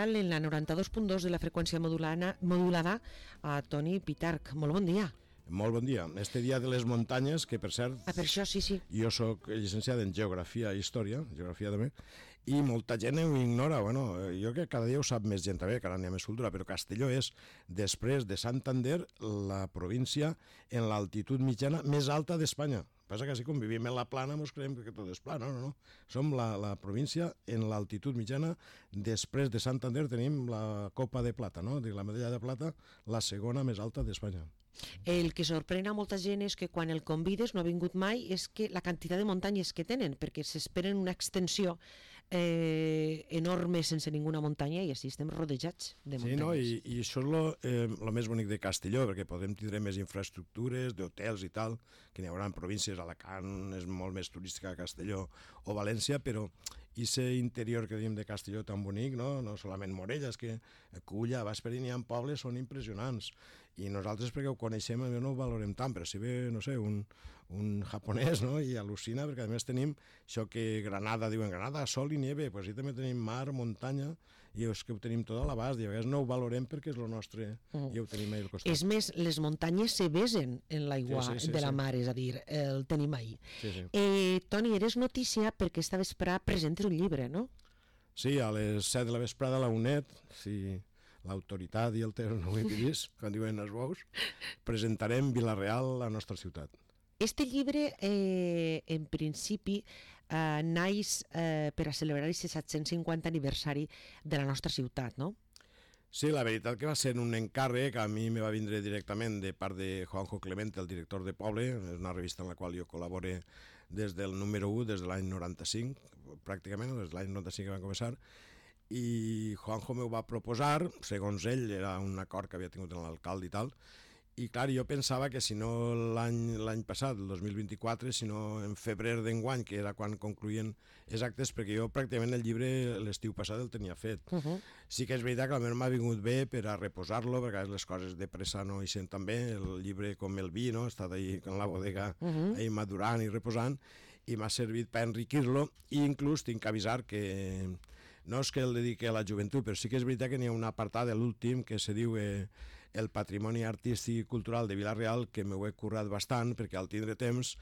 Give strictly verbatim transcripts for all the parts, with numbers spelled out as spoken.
En la noranta-dos punt dos de la freqüència modulana, modulada a Toni Pitarch. Molt bon dia. Molt bon dia. Este dia de les muntanyes, que per cert... Ah, per això, sí, sí. Jo sóc llicenciat en Geografia i Història, Geografia també, i molta gent ho ignora. Bueno, jo que cada dia ho sap més gent també, que ara n'hi ha més cultura, però Castelló és, després de Santander, la província en l'altitud mitjana més alta d'Espanya. Passa que si convivim en la plana ens creiem que tot és pla, no, no, no. Som la, la província en l'altitud mitjana, després de Santander tenim la Copa de Plata, no? La medalla de plata, la segona més alta d'Espanya. El que sorprèn a molta gent és que quan el convides, no ha vingut mai, és que la quantitat de muntanyes que tenen, perquè s'esperen una extensió eh, enorme sense ninguna muntanya i així estem rodejats de muntanyes. Sí, no? I, i això és lo, eh, lo més bonic de Castelló, perquè podem tindre més infraestructures, d'hotels i tal, que n'hi haurà en províncies, Alacant és molt més turística que Castelló o València, però aquest interior que diem de Castelló tan bonic, no, no solament Morella, és que Culla, Vásperin i en pobles són impressionants, i nosaltres perquè ho coneixem no ho valorem tant, però si ve, no sé, un, un japonès, no?, i al·lucina, perquè a més tenim això que Granada, diuen Granada, sol i nieve, pues sí també tenim mar, muntanya, i és que ho tenim tot a l'abast, i a vegades no ho valorem perquè és el nostre, mm. i ho tenim ahí al costat. És més, les muntanyes se besen en l'aigua sí, sí, sí, de la mar, sí. És a dir, el tenim ahí. Sí, sí. Eh, Toni, eres notícia perquè esta vesprada presentes un llibre, no? Sí, a les set de la vesprada a la UNED, sí, l'autoritat i el temps no ho he vist, quan diuen els bous, presentarem Vila-real, la nostra ciutat. Este llibre, eh, en principi, eh, naix eh, per a celebrar el set-cents cinquanta aniversari de la nostra ciutat, no? Sí, la veritat que va ser un encàrrec, a mi me va vindre directament de part de Juanjo Clemente, el director de Poble, és una revista en la qual jo col·labore des del número u, des de l'any noranta-cinc, pràcticament, des de l'any noranta-cinc que van començar, i Juanjo m'ho va proposar, segons ell, era un acord que havia tingut amb l'alcalde i tal, i clar, jo pensava que si no l'any l'any passat, el dos mil vint-i-quatre, si no en febrer d'enguany, que era quan concluïen els actes, perquè jo pràcticament el llibre l'estiu passat el tenia fet. Uh -huh. Sí que és veritat que almenys m'ha vingut bé per a reposar-lo, perquè les coses de pressa no hi sent tan bé, el llibre com el vi, no?, ha estat ahí en la bodega, uh -huh. ahí madurant i reposant, i m'ha servit per enriquir-lo, i inclús tinc que avisar que no és que el dediqui a la joventut, però sí que és veritat que n'hi ha un apartat de l'últim que se diu eh, el patrimoni artístic i cultural de Vila-real, que m'ho he currat bastant, perquè al tindre temps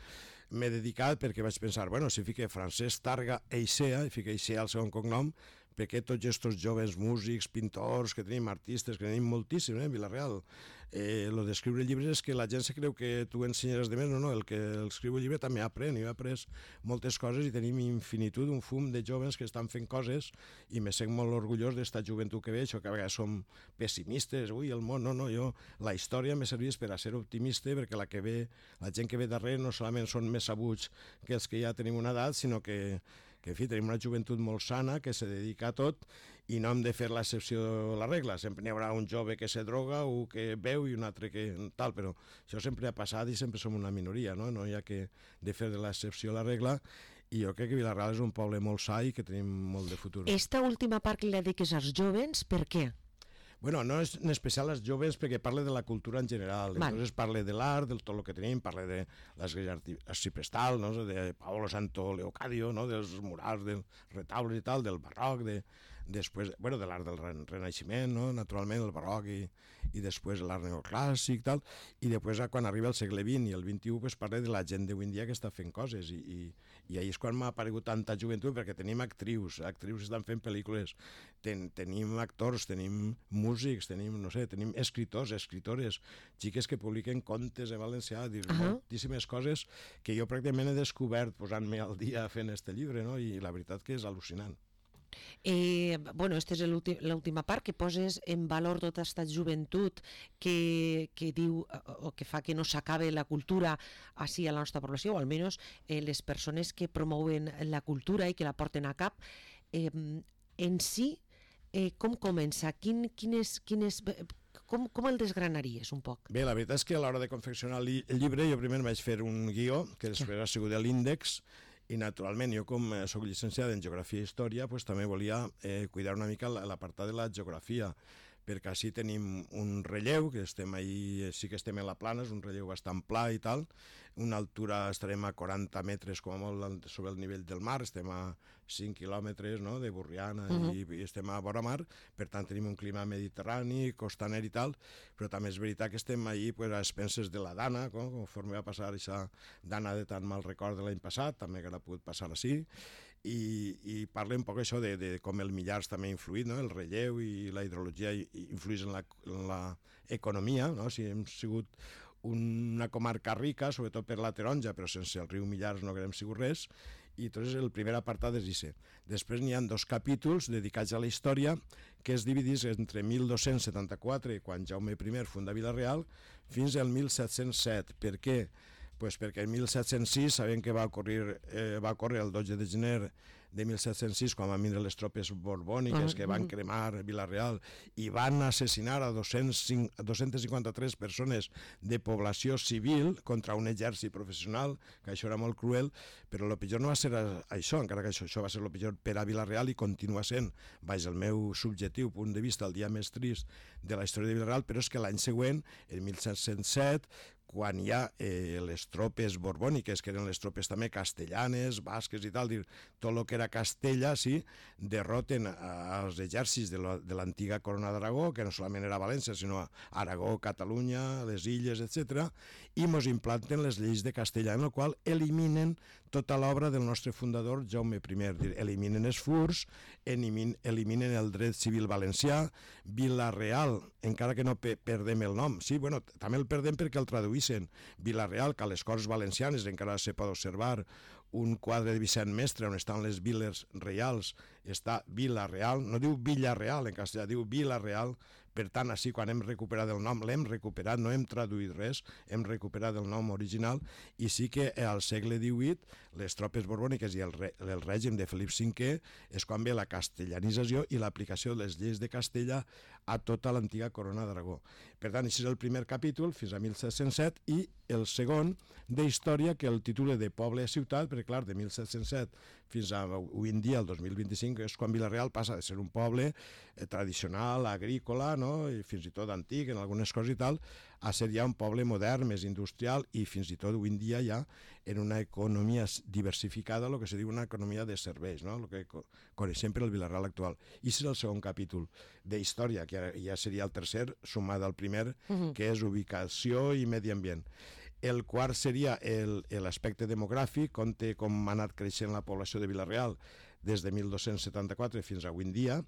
m'he dedicat, perquè vaig pensar, bueno, si fique Francesc Targa Eixea, i fique Eixea el segon cognom, perquè tots aquests joves músics, pintors, que tenim artistes, que tenim moltíssim, eh, Vila-real, eh, lo d'escriure llibres és que la gent se creu que tu ensenyaràs de més, no, no, el que el escriu el llibre també aprèn, jo he après moltes coses i tenim infinitud, un fum de joves que estan fent coses i me sent molt orgullós d'esta joventut que veig, o que a vegades som pessimistes, ui, el món, no, no, jo, la història me serveix per a ser optimista, perquè la que ve, la gent que ve darrere no solament són més sabuts que els que ja tenim una edat, sinó que, que en fi, tenim una joventut molt sana, que se dedica a tot, i no hem de fer l'excepció a la regla, sempre n'hi haurà un jove que se droga o que beu i un altre que tal, però això sempre ha passat i sempre som una minoria, no, no hi ha que de fer de l'excepció a la regla, i jo crec que Vila-real és un poble molt sa i que tenim molt de futur. Esta última part que li dediques als joves, per què? Bueno, no és en especial als joves perquè parla de la cultura en general, Val. Entonces parla de l'art, de tot el que tenim, parla de l'església arciprestal, no? De Paolo Santo Leocadio, no? Dels murals, dels retaules i tal, del barroc, de, després, bueno, de l'art del renaixement, no? Naturalment el barroc i, i després l'art neoclàssic i tal, i després quan arriba el segle vint i el vint-i-u pues, parla de la gent d'avui en dia que està fent coses, i, i, i ahir és quan m'ha aparegut tanta joventut, perquè tenim actrius, actrius que estan fent pel·lícules, Ten, tenim actors, tenim músics, tenim, no sé, tenim escriptors, escritores, xiques que publiquen contes en valencià, dir, uh -huh. moltíssimes coses que jo pràcticament he descobert posant-me al dia fent este llibre, no? I la veritat que és al·lucinant. Eh, bueno, aquesta és l'última part, que poses en valor tota aquesta joventut que, que diu o que fa que no s'acabe la cultura així a la nostra població, o almenys eh, les persones que promouen la cultura i que la porten a cap. Eh, en si, eh, com comença? Quin, quin és, quin és, com, com el desgranaries un poc? Bé, la veritat és que a l'hora de confeccionar el llibre jo primer vaig fer un guió, que després ha sigut l'índex, i naturalment jo com soc llicenciat en Geografia i Història pues, també volia eh, cuidar una mica l'apartat de la geografia, perquè així tenim un relleu, que estem ahí, sí que estem en la plana, és un relleu bastant pla i tal, una altura estarem a quaranta metres com a molt sobre el nivell del mar, estem a cinc quilòmetres, no?, de Borriana, uh-huh. i, i estem a vora mar, per tant tenim un clima mediterrani, costaner i tal, però també és veritat que estem ahí pues, a expenses de la Dana, com, conforme va passar aquesta Dana de tan mal record de l'any passat, també que ha pogut passar així, i, i parla un poc això de, de com el Millars també ha influït, no?, el relleu i la hidrologia influïs en la, en la economia, no?, si hem sigut una comarca rica, sobretot per la taronja, però sense el riu Millars no haguem sigut res, i entonces el primer apartat és això. Després n'hi ha dos capítols dedicats a la història que es dividís entre mil dos-cents setanta-quatre, quan Jaume I funda Vila-real, fins al mil set-cents set. Per què? Pues perquè en mil set-cents sis sabem que va ocórrer, eh, va ocórrer el dotze de gener de mil set-cents sis, quan van vindre les tropes borbòniques que van cremar Vila-real i van assassinar a dos-cents cinquanta-tres persones de població civil contra un exèrcit professional, que això era molt cruel, però el pitjor no va ser això, encara que això, això va ser el pitjor per a Vila-real i continua sent, baix el meu subjectiu punt de vista, el dia més trist de la història de Vila-real, però és que l'any següent, en mil set-cents set, quan hi ha eh, les tropes borbòniques, que eren les tropes també castellanes, basques i tal, dir, tot el que era Castella, sí, derroten als exèrcits de l'antiga corona d'Aragó, que no solament era València, sinó Aragó, Catalunya, les illes, etcètera, i mos implanten les lleis de Castella, en el qual eliminen tota l'obra del nostre fundador Jaume I. Dir, eliminen els furs, eliminen el dret civil valencià, Vila-real, encara que no pe perdem el nom, sí, bueno, també el perdem perquè el traduïssin Vila-real, que a les Corts Valencianes encara se pot observar un quadre de Vicent Mestre on estan les viles reials, està Vila-real, no diu Villa-real en castellà, diu Vila-real. Per tant, així, quan hem recuperat el nom, l'hem recuperat, no hem traduït res, hem recuperat el nom original, i sí que al segle divuit, les tropes borbòniques i el, re, el règim de Felip cinquè és quan ve la castellanització i l'aplicació de les lleis de Castella a tota l'antiga corona d'Aragó. Per tant, això és el primer capítol, fins a mil set-cents set, i el segon de història, que el titula de Poble a Ciutat, perquè, clar, de mil set-cents set fins a avui en dia, el dos mil vint-i-cinc, és quan Vila-real passa de ser un poble eh, tradicional, agrícola, no?, i fins i tot antic en algunes coses i tal, a ser ja un poble modern, més industrial, i fins i tot avui en dia ja en una economia diversificada, el que se diu una economia de serveis, no?, el que coneixem per el Vila-real actual. I és el segon capítol de història, que ja seria el tercer, sumat al primer, uh-huh. que és ubicació i medi ambient. El quart seria l'aspecte demogràfic, on té com ha anat creixent la població de Vila-real des de mil dos-cents setanta-quatre fins a avui en dia,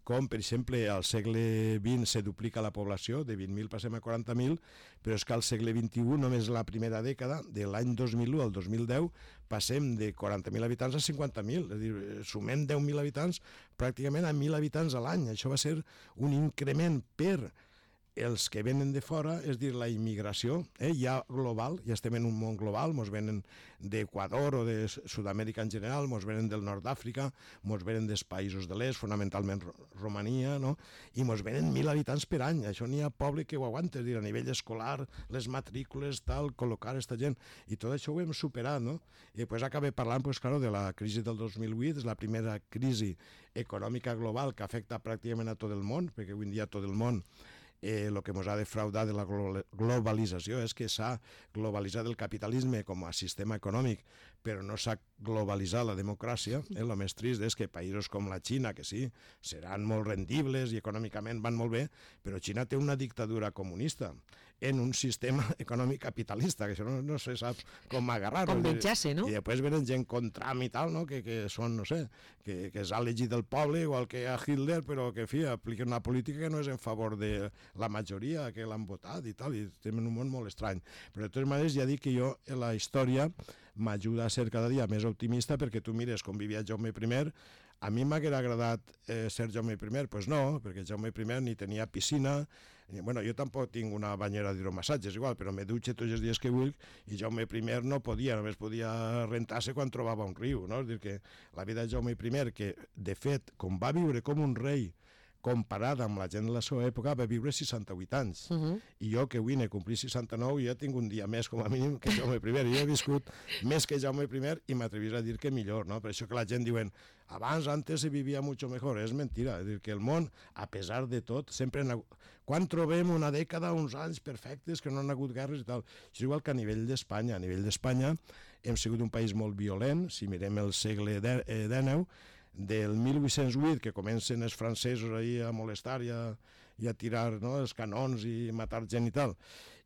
com, per exemple, al segle vint se duplica la població, de vint mil passem a quaranta mil, però és que al segle vint-i-u, només la primera dècada, de l'any dos mil u al dos mil deu, passem de quaranta mil habitants a cinquanta mil, és a dir, sumem deu mil habitants pràcticament a mil habitants a l'any. Això va ser un increment per els que venen de fora, és dir, la immigració, eh, ja global, ja estem en un món global, mos venen d'Equador o de Sud-amèrica en general, mos venen del nord d'Àfrica, mos venen dels països de l'est, fonamentalment Romania, no?, i mos venen mil habitants per any. Això n'hi ha poble que ho aguanta, és dir, a nivell escolar, les matrícules, tal, col·locar aquesta gent, i tot això ho hem superat, no? I després acabé parlant, pues, claro, de la crisi del dos mil vuit, és la primera crisi econòmica global que afecta pràcticament a tot el món, perquè avui en dia tot el món el eh, que ens ha defraudat de la globalització és que s'ha globalitzat el capitalisme com a sistema econòmic, però no s'ha globalitzat la democràcia. Eh? El més trist és que països com la Xina, que sí, seran molt rendibles i econòmicament van molt bé, però Xina té una dictadura comunista en un sistema econòmic capitalista, que això no, no se sap com agarrar-ho. Com menjar-se, no? I després venen gent contra i tal, no? que, que són, no sé, que, que s'ha elegit del poble, igual que a Hitler, però que, en fi, apliquen una política que no és en favor de la majoria que l'han votat i tal, i estem en un món molt estrany. Però de totes maneres ja dic que jo, en la història, m'ajuda a ser cada dia més optimista, perquè tu mires com vivia Jaume I. A mi m'haguera agradat eh, ser Jaume I? Doncs pues no, perquè Jaume I ni tenia piscina, ni, bueno, jo tampoc tinc una banyera d'hidromassatges igual, però me dutxe tots els dies que vull, i Jaume I no podia, només podia rentar-se quan trobava un riu, no? És dir, que la vida de Jaume I, que de fet, com va viure com un rei, comparat amb la gent de la seva època, va viure seixanta-vuit anys. Uh -huh. I jo, que avui n'he complit seixanta-nou, ja tinc un dia més, com a mínim, que Jaume I. Jo he viscut més que Jaume I i m'atrevís a dir que millor, no? Per això que la gent diuen, abans, antes se vivia mucho mejor. És mentira. És dir, que el món, a pesar de tot, sempre... Quan trobem una dècada, uns anys perfectes, que no han hagut guerres i tal? És igual que a nivell d'Espanya. A nivell d'Espanya hem sigut un país molt violent. Si mirem el segle dinou, del mil vuit-cents vuit, que comencen els francesos ahir a molestar i a, i a tirar, no, els canons i matar gent i tal,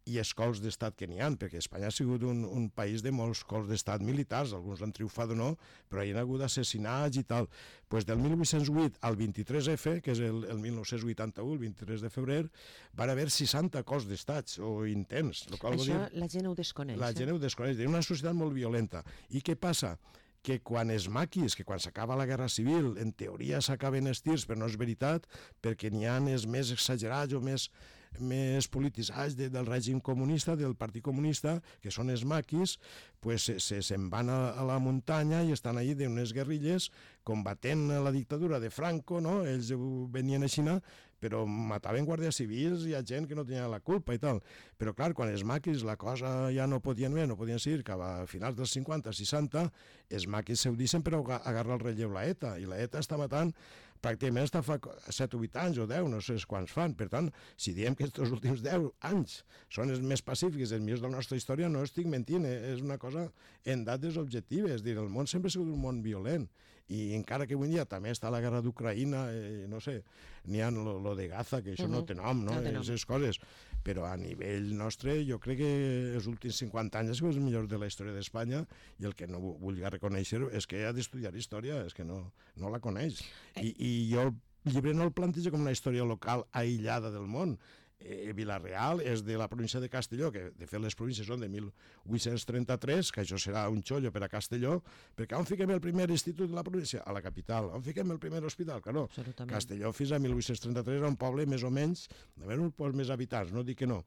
i els cols d'estat que n'hi ha, perquè Espanya ha sigut un, un país de molts cols d'estat militars, alguns han triomfat o no, però hi ha hagut assassinats i tal. Pues del mil vuit-cents vuit al vint-i-tres efe, que és el, el mil nou-cents vuitanta-u, el vint-i-tres de febrer, van haver seixanta cols d'estats o intents. Això dir, la gent ho desconeix. La eh? gent ho desconeix. És una societat molt violenta. I què passa? Que quan els maquis, que quan s'acaba la guerra civil, en teoria s'acaben els tirs, però no és veritat, perquè n'hi ha els més exagerats o més, més polititzats de, del règim comunista, del Partit Comunista, que són els maquis, pues se'n se, se van a, a la muntanya i estan allí d'unes guerrilles combatent la dictadura de Franco, no? Ells venien a Xina, però mataven guàrdies civils i a gent que no tenia la culpa i tal. Però clar, quan els maquis la cosa ja no podien més, no podien seguir, cap a finals dels cinquanta, seixanta, els maquis s'eudicen per agarrar el relleu la ETA, i la ETA està matant pràcticament està fa set o vuit anys o deu, no sé quants fan. Per tant, si diem que aquests últims deu anys són els més pacífics, els millors de la nostra història, no estic mentint, eh? És una cosa en dades objectives. És dir, el món sempre ha sigut un món violent, i encara que avui dia també està la guerra d'Ucraïna, eh, no sé, n'hi ha lo, lo de Gaza, que això uh-huh. no té nom, no? no té nom. Aquestes coses. Però a nivell nostre, jo crec que els últims cinquanta anys ha sigut els millors de la història d'Espanya, i el que no vulgui reconèixer és que ha d'estudiar història, és que no, no la coneix. I, I jo el llibre no el plantejo com una història local aïllada del món. Eh, Vila-real és de la província de Castelló, que de fet les províncies són de mil vuit-cents trenta-tres, que això serà un xollo per a Castelló, perquè on fiquem el primer institut de la província? A la capital. On fiquem el primer hospital? Que no. Castelló fins a mil vuit-cents trenta-tres era un poble més o menys, de menys uns pocs més habitants, no dic que no,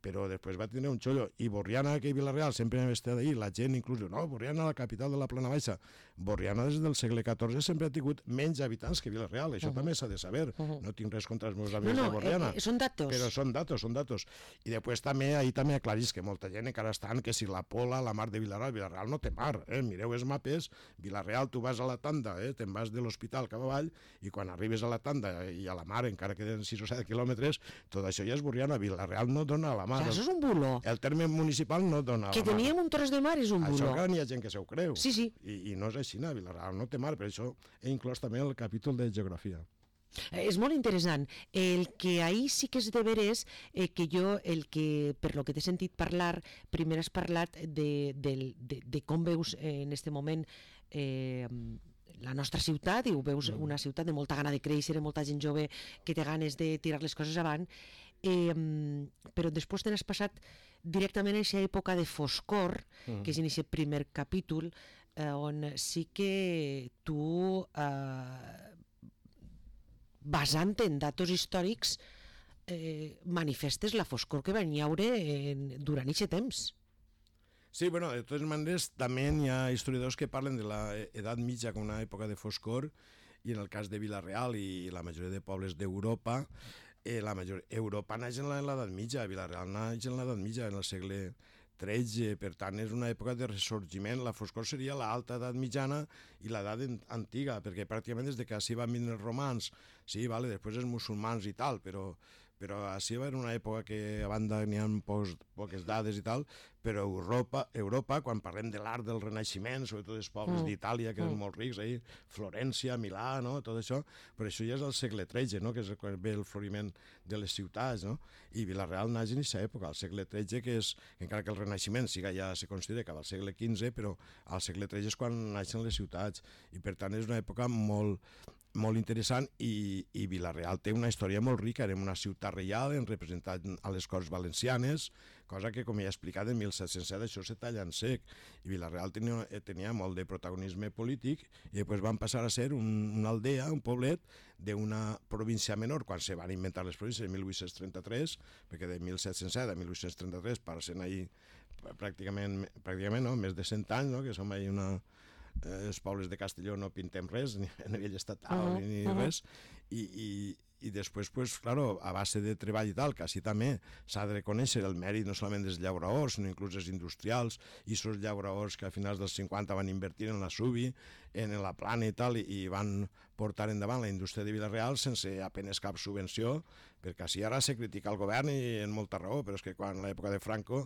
però després va tenir un xollo. I Borriana, que i Vila-real sempre hem estat ahir, la gent inclús diu, no, Borriana, la capital de la Plana Baixa. Borriana des del segle catorze sempre ha tingut menys habitants que Vila-real, això uh -huh. també s'ha de saber. Uh -huh. No tinc res contra els meus amics no, no, de Borriana. Eh, són datos. Però són datos, són datos. I després també, ahir també aclarís que molta gent encara estan, que si la Pola, la mar de Vila-real, Vila-real no té mar, eh? Mireu els mapes, Vila-real tu vas a la tanda, eh? Te'n vas de l'hospital cap avall, i quan arribes a la tanda i a la mar, encara queden sis o set quilòmetres, tot això ja és Borriana. Vila-real no dona a la mar. Ja, això és un bulo. El terme municipal no dona que teníem un tros de mar és un bulo. Això que n'hi ha gent que se ho creu. Sí, sí. I, i no és així, no? Vila-real no té mar, per això he inclòs també el capítol de geografia. Eh, és molt interessant. El que ahir sí que és de veres, eh, que jo, el que, per lo que t'he sentit parlar, primer has parlat de, de, de, de com veus eh, en este moment eh, la nostra ciutat, i ho veus una ciutat de molta gana de créixer, de molta gent jove que té ganes de tirar les coses avant, eh, però després te n'has passat directament a aquesta època de foscor, mm. que és en aquest primer capítol, eh, on sí que tu, eh, basant en datos històrics, eh, manifestes la foscor que van hi haure en, durant aquest temps. Sí, bueno, de totes maneres, també hi ha historiadors que parlen de l'edat mitja com una època de foscor, i en el cas de Vila-real i la majoria de pobles d'Europa, eh, la major... Europa naix en l'edat mitja, Vila-real naix en l'edat mitja, en el segle tretze, per tant és una època de ressorgiment. La foscor seria l'alta edat mitjana i l'edat antiga, perquè pràcticament des de que així van venir els romans, sí, vale, després els musulmans i tal, però però així va una època que a banda n'hi ha pocs, poques dades i tal, però Europa, Europa quan parlem de l'art del Renaixement, sobretot els pobles mm. d'Itàlia, que mm. eren molt rics, ahí, Florència, Milà, no? Tot això, però això ja és el segle tretze, no? Que és quan ve el floriment de les ciutats, no? I Vila-real naix en aquesta època, al segle tretze, que és, encara que el Renaixement siga ja se considera que va al segle quinze, però al segle tretze és quan naixen les ciutats, i per tant és una època molt molt interessant, i, i Vila-real té una història molt rica. Érem una ciutat reial, hem representat a les Corts Valencianes, cosa que, com ja he explicat, en mil set-cents set això se talla en sec, i Vila-real tenia, tenia molt de protagonisme polític, i després van passar a ser un, una aldea, un poblet d'una província menor, quan se van inventar les províncies en mil vuit-cents trenta-tres, perquè de mil set-cents set a mil vuit-cents trenta-tres passen ahir pràcticament, pràcticament no? més de cent anys, no? Que som ahir una... Eh, els pobles de Castelló no pintem res, ni a nivell estatal, uh -huh, ni uh -huh. res, i, i, i després, pues, claro, a base de treball i tal, que així també s'ha de reconèixer el mèrit no solament dels llauradors, sinó inclús dels industrials, i aquests llauradors que a finals dels cinquanta van invertir en la Subi, en la Plana i tal, i van portar endavant la indústria de Vila-real sense apenes cap subvenció, perquè així ara se critica el govern i en molta raó, però és que quan a l'època de Franco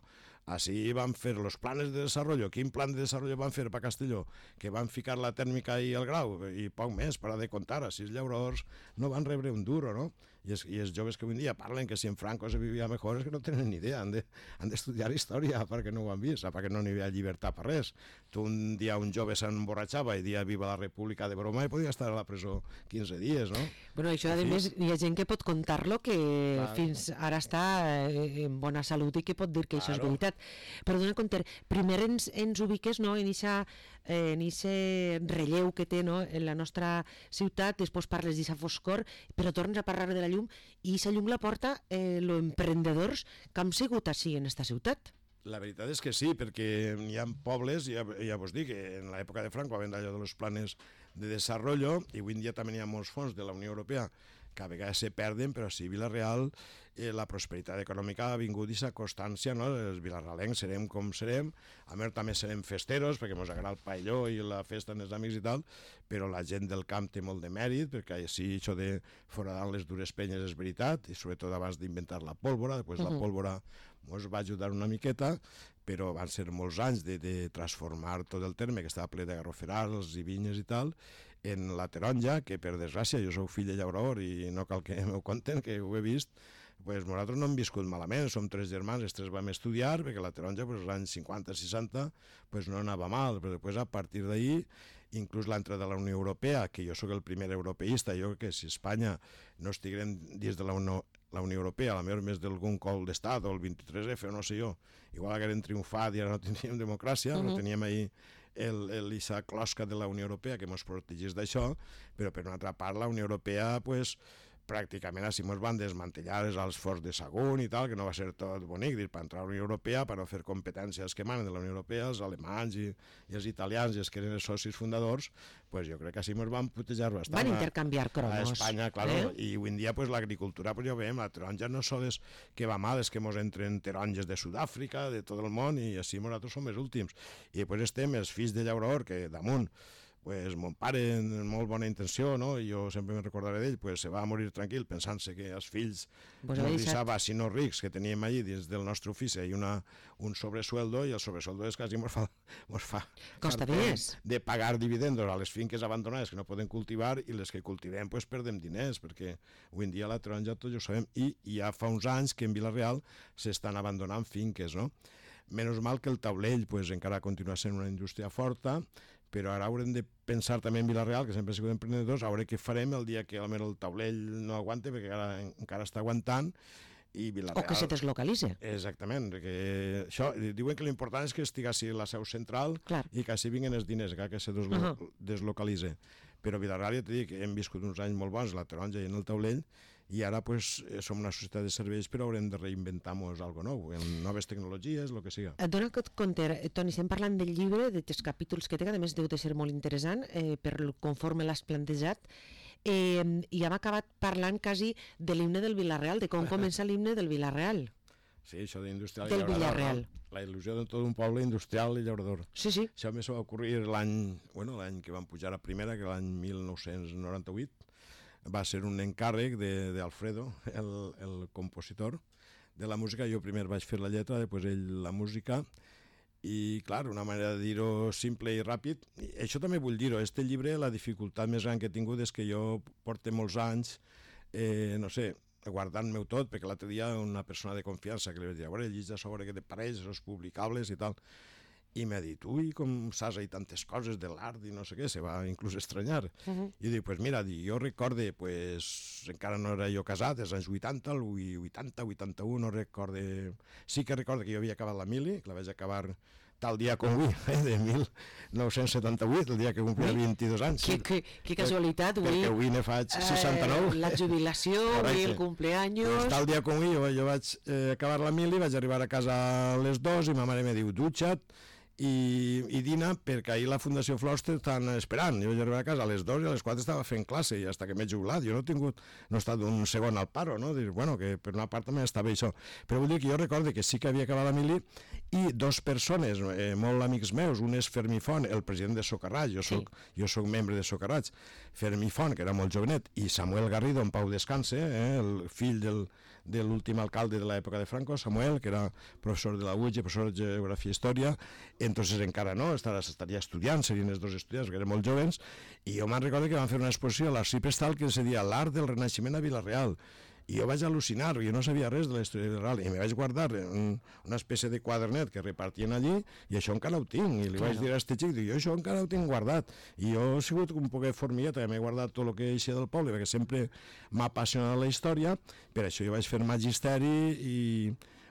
així van fer els plans de desenvolupament. Quin plan de desenvolupament van fer per Castelló? Que van ficar la tèrmica i el grau, i poc més, per a de comptar. Així els llauradors no van rebre un duro, no? I els, i els joves que avui dia parlen que si en Franco se vivia millor és que no tenen ni idea, han de, han d'estudiar història perquè no ho han vist, perquè no n'hi havia llibertat per res. Tu un dia un jove s'emborratxava i dia viva la república de broma i podia estar a la presó quinze dies, no? Bueno, això a més hi ha gent que pot contar-lo que Clar. fins ara està en bona salut i que pot dir que això és Claro. veritat. Però dona compte, primer ens, ens ubiques, no, en eixa en eixe relleu que té, no, en la nostra ciutat, després parles d'aquesta foscor, però tornes a parlar de la llum, i aquesta llum la porta eh, los emprendedors que han sigut així en esta ciutat. La veritat és que sí, perquè hi ha pobles, ja, ja vos dic, que en l'època de Franco havent d'allò de los planes de desenvolupament, i avui en dia també hi ha molts fons de la Unió Europea que a vegades se perden, però sí, Vila-real, eh, la prosperitat econòmica ha vingut d'aquesta constància, no? Els vilarralencs serem com serem, a més també serem festeros, perquè ens agrada el paelló i la festa amb els amics i tal, però la gent del camp té molt de mèrit, perquè així això de foradar les dures penyes és veritat, i sobretot abans d'inventar la pólvora, després uh -huh. la pólvora ens va ajudar una miqueta, però van ser molts anys de, de transformar tot el terme, que estava ple de garroferals i vinyes i tal, en la taronja, que per desgràcia jo sou fill de llaurador i no cal que m'ho conten, que ho he vist, pues nosaltres no hem viscut malament, som tres germans, els tres vam estudiar, perquè la taronja, pues, als anys cinquanta seixanta, pues, no anava mal, però després a partir d'ahir, inclús l'entrada de la Unió Europea, que jo sóc el primer europeista, jo crec que si Espanya no estiguem dins de la Unió la Unió Europea, a la millor més d'algun col d'estat, o el vint-i-tres efe, o no sé jo, igual hagueren triomfat i ara no tindríem democràcia, uh -huh. no teníem ahir el, el, esa closca de la Unió Europea que ens protegís d'això, però per una altra part la Unió Europea, pues, pràcticament així ens van desmantellar els alts forts de Sagunt i tal, que no va ser tot bonic, dir, per entrar a la Unió Europea, per no fer competències que manen de la Unió Europea, els alemanys i, i els italians, i els que eren els socis fundadors, pues jo crec que així ens van putejar bastant. Van intercanviar cromos. A Espanya, claro, eh? I avui en dia pues, l'agricultura, pues, ja ho veiem, la taronja no sols que va mal, és que ens entren taronges de Sud-àfrica, de tot el món, i així nosaltres som els últims. I després estem els fills de llaurador, que damunt, pues, mon pare, amb molt bona intenció, no? I jo sempre me recordaré d'ell, pues, se va morir tranquil pensant-se que els fills pues no deixava, si no rics, que teníem allí dins del nostre ofici, i una, un sobresueldo, i el sobresueldo és quasi ens fa, mos fa costa diners de pagar dividendos a les finques abandonades que no poden cultivar, i les que cultivem pues, perdem diners, perquè avui en dia la taronja tots ho sabem, i, i ja fa uns anys que en Vila-real s'estan abandonant finques, no? Menys mal que el taulell pues, encara continua sent una indústria forta, però ara haurem de pensar també en Vila-real, que sempre hem sigut emprenedors, a veure què farem el dia que el taulell no aguante, perquè encara, encara està aguantant, i Vila-real... O que se deslocalitze. Exactament, perquè això, diuen que l'important és que estigui la seu central Clar. i que així vinguen els diners, que se deslo uh -huh. deslocalitze. Però Vila-real, ja t'he dit, hem viscut uns anys molt bons, la taronja i en el taulell, i ara pues, som una societat de serveis, però haurem de reinventar-nos alguna nou, en noves tecnologies, el que siga. Et dona compte, Toni, estem parlant del llibre, de tres capítols que té, que a més deu de ser molt interessant, eh, per conforme l'has plantejat, eh, i hem acabat parlant quasi de l'himne del Vila-real, de com comença l'himne del Vila-real. Sí, això d'industrial del i llaurador. Vila-real. La il·lusió de tot un poble industrial i llaurador. Sí, sí. Això més va ocorrir l'any bueno, l'any que van pujar a primera, que l'any mil nou-cents noranta-vuit, va ser un encàrrec d'Alfredo, el, el compositor de la música. Jo primer vaig fer la lletra, després ell la música, i clar, una manera de dir-ho simple i ràpid. I això també vull dir-ho, este llibre, la dificultat més gran que he tingut és que jo porto molts anys, eh, no sé, guardant-me-ho tot, perquè l'altre dia una persona de confiança que li vaig dir, a veure, llegeix sobre què te pareix, els publicables i tal, i m'ha dit, ui, com saps ahí tantes coses de l'art i no sé què, se va inclús estranyar. Uh -huh. I dic, pues mira, dic, jo recorde, pues, encara no era jo casat, els anys vuitanta, el vuitanta, vuitanta-u, no recorde... Sí que recorde que jo havia acabat la mili, que la vaig acabar tal dia com avui, eh, de mil nou-cents setanta-vuit, el dia que complia vint-i-dos anys. Que, que, que casualitat, avui... Perquè avui ne faig seixanta-nou. Eh, la jubilació, avui el cumpleaños... Pues tal dia com avui, jo, jo vaig eh, acabar la mili, vaig arribar a casa a les dues i ma mare me diu, dutxa't, i, i dina perquè ahir la Fundació Flors t'estan esperant. Jo vaig arribar a casa a les dues i a les quatre estava fent classe i fins que m'he jubilat. Jo no he tingut, no he estat un segon al paro, no? Dir, bueno, que per una part també està bé això. Però vull dir que jo recordo que sí que havia acabat la mili i dos persones, eh, molt amics meus, un és Fermí Font, el president de Socarrats, jo soc, sí. jo soc membre de Socarrats, Fermí Font, que era molt jovenet, i Samuel Garrido, en pau descanse, eh, el fill del, de l'últim alcalde de l'època de Franco, Samuel, que era professor de la U E G, professor de Geografia i Història, entonces encara no, estaria estudiant, serien els dos estudiants, que eren molt joves, i jo me'n recordo que van fer una exposició a l'Arxiu Prestal que se deia L'art del Renaixement a Vila-real, i jo vaig al·lucinar, jo no sabia res de la història de Vila-real, i me vaig guardar un, una espècie de quadernet que repartien allí, i això encara ho tinc, i li claro. vaig dir a este xic, dic, jo això encara ho tinc guardat, i jo he sigut un poquet formigueta, m'he guardat tot el que eixia del poble, perquè sempre m'ha apassionat la història, per això jo vaig fer magisteri i...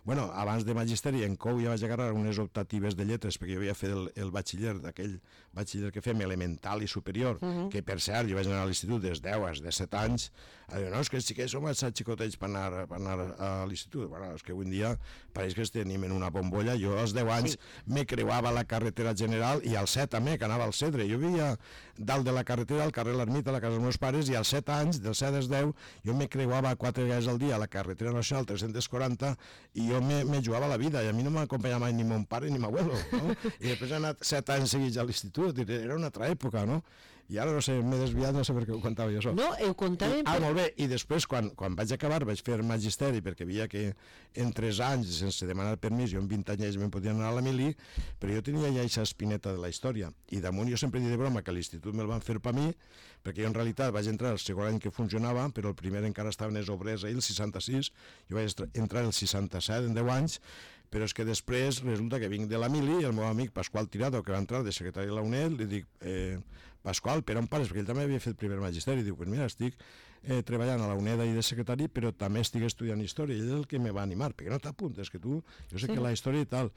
Bueno, abans de magisteri en Cou ja vaig agarrar unes optatives de lletres perquè jo havia fet el, el batxiller, d'aquell batxiller que fem elemental i superior, uh -huh. que per cert jo vaig anar a l'institut des de deu, des de set anys, a dir, no, és que els xiquets som massa xicotets per anar, per anar a l'institut. Bueno, és que avui en dia pareix que es tenim en una bombolla. Jo als deu anys sí. me creuava la carretera general i als set també, que anava al Cedre. Jo vivia dalt de la carretera, al carrer L'Ermita, a la casa dels meus pares, i als set anys, dels set als deu, jo me creuava quatre vegades al dia a la carretera nacional tres-cents quaranta i jo me, me jugava la vida, i a mi no m'acompanyava mai ni mon pare ni m'abuelo, no? I després he anat set anys seguits a l'institut, era una altra època, no? I ara no sé, m'he desviat, no sé per què ho contava jo això. No, ho contàvem... I, ah, molt bé, i després, quan, quan vaig acabar, vaig fer magisteri, perquè veia que en tres anys, sense demanar permís, jo en vint anys me'n podia anar a la mili, però jo tenia ja aquesta espineta de la història. I damunt jo sempre dic de broma que a l'institut me'l van fer per mi, perquè jo en realitat vaig entrar el segon any que funcionava, però el primer encara estaven els obrers ahir, el seixanta-sis, jo vaig entrar el seixanta-set, en deu anys, però és que després resulta que vinc de la mili i el meu amic Pasqual Tirado, que va entrar de secretari de la UNED, li dic, eh, Pasqual, per on pares? Perquè ell també havia fet primer magisteri, i diu, pues mira, estic eh, treballant a la UNED ahir de secretari, però també estic estudiant història, i ell és el que me va animar, perquè no t'apuntes, que tu, jo sé sí. que la història i tal,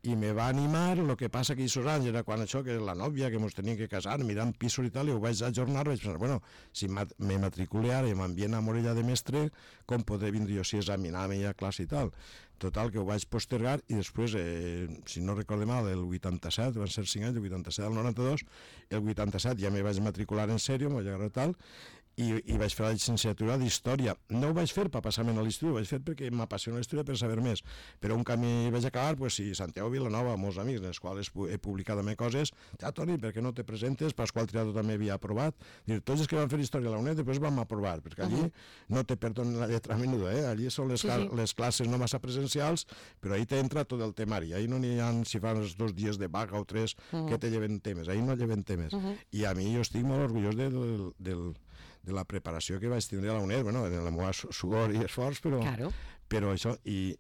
i me va animar, el que passa que aquests anys era quan això, que la nòvia, que ens teníem que casar, mirant pisos i tal, i ho vaig ajornar, vaig pensar, bueno, si me matricule ara i m'envien a Morella de mestre, com podré vindre jo si examinar-me a classe i tal? Total, que ho vaig postergar i després, eh, si no recorde mal, el vuitanta-set, van ser cinc anys, el vuitanta-set al noranta-dos, el vuitanta-set ja me vaig matricular en sèrio, m'ho vaig agarrar tal, i, i vaig fer la llicenciatura d'Història. No ho vaig fer per passar-me a l'institut, ho vaig fer perquè m'apassiona la història per saber més. Però un camí vaig acabar, pues, sí, Santiago Vilanova, molts amics, en els quals he publicat també coses, ja, Toni, per què no te presentes? Pasqual Tirado també havia aprovat. Dir, tots els que van fer història a la UNED després vam aprovar, perquè allí uh -huh. no te perdonen la lletra menuda, eh? Allí són les, sí, sí. les classes no massa presencials, però ahí t'entra tot el temari. Ahí no n'hi ha, si fan els dos dies de vaga o tres, uh -huh. que te lleven temes. Ahí no lleven temes. Uh -huh. I a mi jo estic molt orgullós de, del, del de la preparació que vaig tindre a la UNED, bueno, en la meva sudor i esforç, però, claro. però això, i,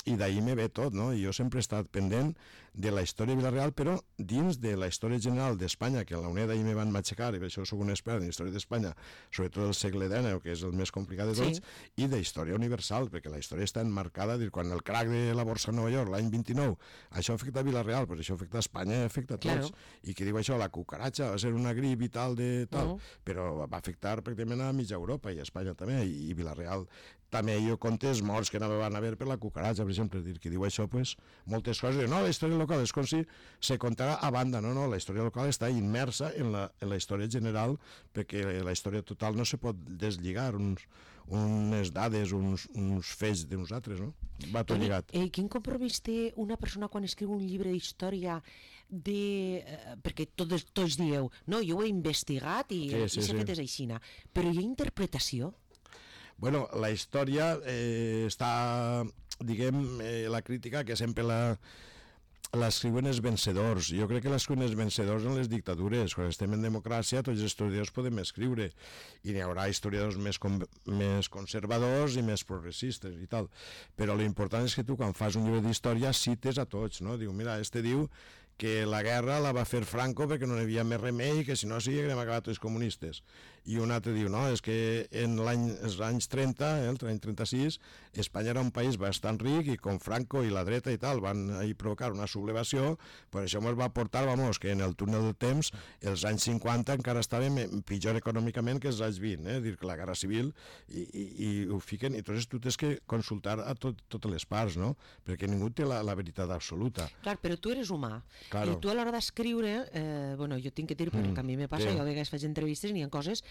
i d'ahir me ve tot, no? I jo sempre he estat pendent de la història de Vila-real, però dins de la història general d'Espanya, que a la UNED ahir me van matxacar, i per això soc un expert en història d'Espanya, sobretot del segle dinou, que és el més complicat de tots, sí. i de història universal, perquè la història està enmarcada, dir, quan el crac de la borsa de Nova York, l'any vint-i-nou, això afecta a Vila-real, però això afecta a Espanya, afecta a tots. Claro. I qui diu això, la cucaratxa va ser una grip i tal, de tal, uh -huh. però va afectar pràcticament a mitja Europa i a Espanya també, i, i Vila-real també jo contes morts que no van haver per la cucaratxa, per exemple, dir que diu això, pues, moltes coses, no, la història local és com si se contarà a banda, no, no, la història local està immersa en la, en la història general, perquè la història total no se pot deslligar, uns, unes dades, uns, uns fets de nosaltres, no? Va tot lligat. Eh, quin compromís té una persona quan escriu un llibre d'història de... Eh, perquè tots, tots dieu, no, jo ho he investigat i, sí, sí, i s'ha sí. fet és aixina, però hi ha interpretació? Bueno, la història eh, està, diguem, eh, la crítica que sempre la l'escriuen els vencedors. Jo crec que l'escriuen els vencedors en les dictadures. Quan estem en democràcia, tots els historiadors podem escriure i n'hi haurà historiadors més, com, més conservadors i més progressistes i tal. Però l'important és que tu, quan fas un llibre d'història, cites a tots, no? Diu, mira, este diu que la guerra la va fer Franco perquè no hi havia més remei, que si no sí haguem acabat els comunistes. i un altre diu, no, és que en l'any, els anys trenta, eh, l'any trenta-sis, Espanya era un país bastant ric i com Franco i la dreta i tal van ahí provocar una sublevació, per això ens va portar, vamos, que en el túnel del temps, els anys cinquanta encara estàvem pitjor econòmicament que els anys vint, eh, dir que la Guerra Civil, i, i, i ho fiquen, i entonces tu tens que consultar a tot, totes les parts, no? Perquè ningú té la, la veritat absoluta. Clar, però tu eres humà, claro. I tu a l'hora d'escriure, eh, bueno, jo tinc que dir, perquè mm, a mi me passa, sí. Jo a vegades faig entrevistes i n'hi ha coses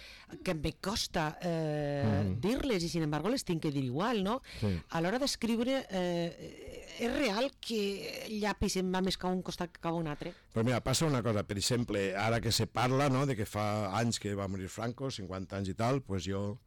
que me costa eh, mm. dir-les i sin embargo les tinc que dir igual, no? Sí. A l'hora d'escriure eh, és real que el llapis em va més cap a un costat que cap a un altre? Però mira, passa una cosa, per exemple, ara que se parla, no?, de que fa anys que va morir Franco, cinquanta anys i tal, pues jo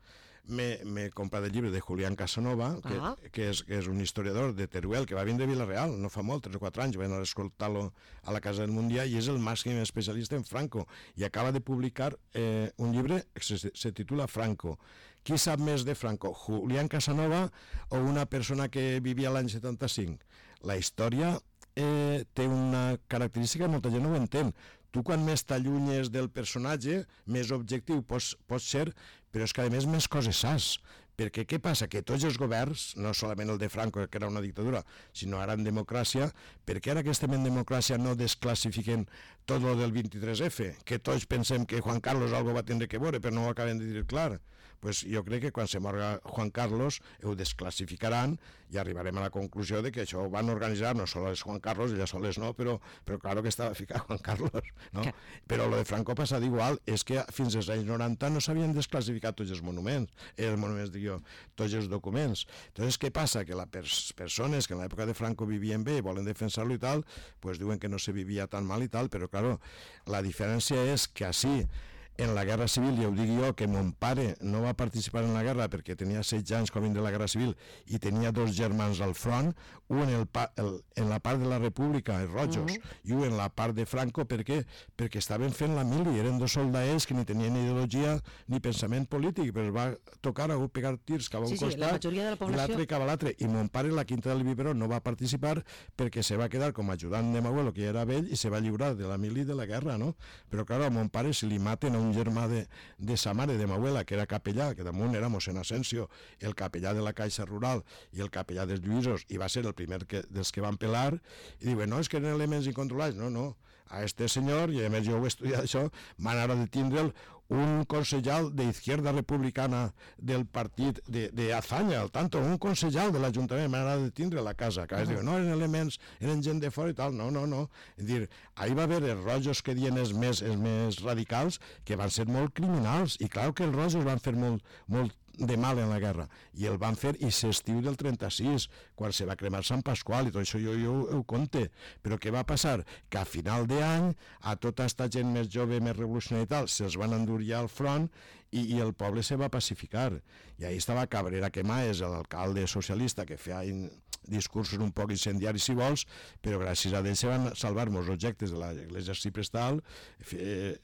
m'he comprat el llibre de Julián Casanova, que, ah. que, és, que és un historiador de Teruel, que va vindre a Vila-real, no fa molt, tres o quatre anys, va anar a escoltar-lo a la Casa del Mundial, i és el màxim especialista en Franco, i acaba de publicar eh, un llibre que se, se titula Franco. Qui sap més de Franco, Julián Casanova o una persona que vivia l'any setanta-cinc? La història eh, té una característica, molta gent no ho entén. Tu quan més t'allunyes del personatge, més objectiu pots, pots ser, però és que a més més coses saps. Perquè què passa? Que tots els governs, no solament el de Franco, que era una dictadura, sinó ara en democràcia, perquè ara que estem en democràcia no desclassifiquen tot el del vint-i-tres efe, que tots pensem que Juan Carlos algo va tindre que veure, però no ho acaben de dir clar. Pues jo crec que quan se morga Juan Carlos ho desclassificaran i arribarem a la conclusió de que això ho van organitzar, no sols Juan Carlos, ella soles no, però, però claro que estava ficat Juan Carlos, no? Que... Però lo de Franco passa d'igual, és que fins als anys noranta no s'havien desclassificat tots els monuments, els monuments, dic jo, tots els documents. Entonces, què passa? Que les pers persones que en l'època de Franco vivien bé i volen defensar-lo i tal, pues diuen que no se vivia tan mal i tal, però claro, la diferència és que així, en la Guerra Civil, ja ho dic jo, que mon pare no va participar en la guerra perquè tenia setze anys quan vindre la Guerra Civil i tenia dos germans al front, un en, el pa, el, en la part de la República, els rojos, uh -huh. i un en la part de Franco, per què? Perquè estaven fent la mili, eren dos soldats que ni tenien ideologia ni pensament polític, però es va tocar a pegar tirs cap a un sí, sí, costat i l'altre cap a l'altre, i mon pare en la Quinta del Biberó no va participar perquè se va quedar com a ajudant de m'abuelo, que ja era vell, i se va lliurar de la mili de la guerra, no? Però clar, a mon pare si li maten a un germà de, de sa mare, de m'abuela, que era capellà, que damunt era mossèn Asensio, el capellà de la Caixa Rural i el capellà dels Lluïsos, i va ser el primer que, dels que van pelar, i diuen, no, és que eren elements incontrolats. No, no, a este senyor, i a més jo ho he estudiat això, van ara de tindre'l un consellal de Izquierda Republicana del partit de, de Azaña, al tanto, un consellal de l'Ajuntament, m'agrada de tindre a la casa, que uh -huh. diuen, no, eren elements, eren gent de fora i tal, no, no, no. És dir, ahir va haver els rojos que diuen els més, els més radicals, que van ser molt criminals, i clar que els rojos van fer molt, molt de mal en la guerra, i el van fer i s'estiu del trenta-sis, quan se va cremar Sant Pasqual, i tot això jo, jo ho conte. Però què va passar? Que a final d'any a tota aquesta gent més jove, més revolucionària i tal, se'ls van endur ja al front i, i el poble se va pacificar, i ahí estava Cabrera Quemaes, l'alcalde socialista, que feia in, discursos un poc incendiaris si vols, però gràcies a ell se van salvar molts objectes de l'església arciprestal, eh,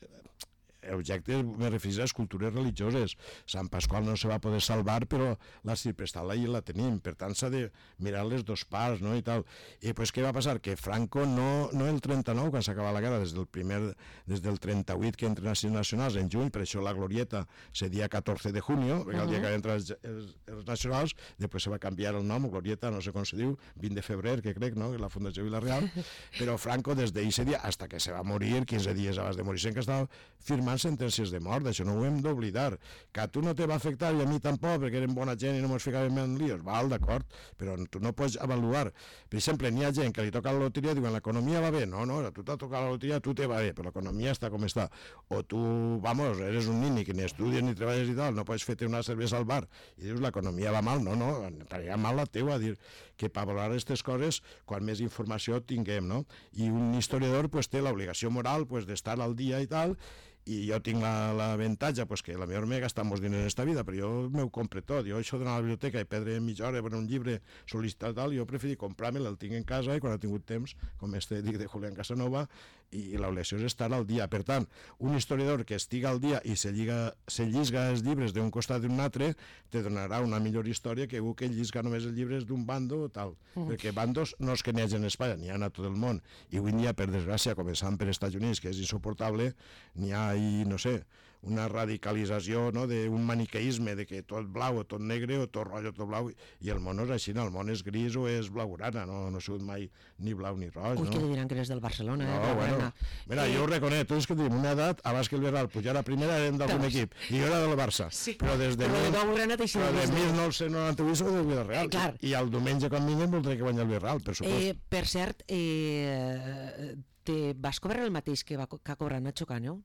objectes, me refereixo a les cultures religioses. Sant Pasqual no se va poder salvar, però la ciprestal ahí la tenim, per tant s'ha de mirar les dos parts, no?, i tal. I pues què va passar? Que Franco no, no el trenta-nou, quan s'acaba la guerra, des del primer, des del trenta-vuit que entren a nacionals en juny, per això la glorieta se dia catorze de junio, perquè uh -huh. el dia que entren els, els, els nacionals, després se va canviar el nom, glorieta, no sé com se diu, vint de febrer, que crec, no?, la Fundació Vila-real, però Franco des d'eixe dia, hasta que se va morir, quinze dies abans de morir, que estava firmant sentències de mort, això no ho hem d'oblidar. Que a tu no te va afectar i a mi tampoc, perquè eren bona gent i no mos ficàvem en líos, val, d'acord, però tu no pots avaluar. Per exemple, n'hi ha gent que li toca la loteria i diuen, l'economia va bé, no, no, a tu t'ha tocat la loteria, tu te va bé, però l'economia està com està. O tu, vamos, eres un nini que ni estudies ni treballes i tal, no pots fer-te una cervesa al bar i dius, l'economia va mal, no, no, estaria mal la teua, dir que per valorar aquestes coses, quan més informació tinguem, no? I un historiador pues, té l'obligació moral pues, d'estar al dia i tal, i jo tinc l'avantatge pues, que la millor m'he gastat molts diners en aquesta vida, però jo m'ho compre tot. Jo això d'anar a la biblioteca i perdre mitja hora per un llibre sol·licitat tal, jo preferí comprar-me'l, el tinc en casa i quan he tingut temps, com este dic de Julián Casanova, i, i l'obligació és estar al dia. Per tant, un historiador que estiga al dia i se, lliga, se llisga els llibres d'un costat d'un altre, te donarà una millor història que un que llisga només els llibres d'un bando o tal. Mm. Perquè bandos no és que n'hi hagi en Espanya, n'hi ha a tot el món. I avui dia, per desgràcia, començant per Estats Units, que és insuportable, n'hi ha i no sé, una radicalització, no?, d'un maniqueisme, de que tot blau o tot negre o tot roig o tot blau, i el món no és així, no? El món és gris o és blaugrana, no, no ha sigut mai ni blau ni roig. Ui, no? que li diran que eres del Barcelona, no, eh, bueno, mira, eh... jo ho reconec, tu és que tenim una edat, abans que el Verral pujara a primera érem d'algun equip, i jo era del Barça, sí. però des de, però mil... de, però de mil nou-cents noranta-vuit soc del Villarreal, eh, i el diumenge quan vinguem voldré que guanyi el Villarreal, per supost. Eh, per cert, eh, te vas cobrar el mateix que, va, que ha cobrat Nacho Cano?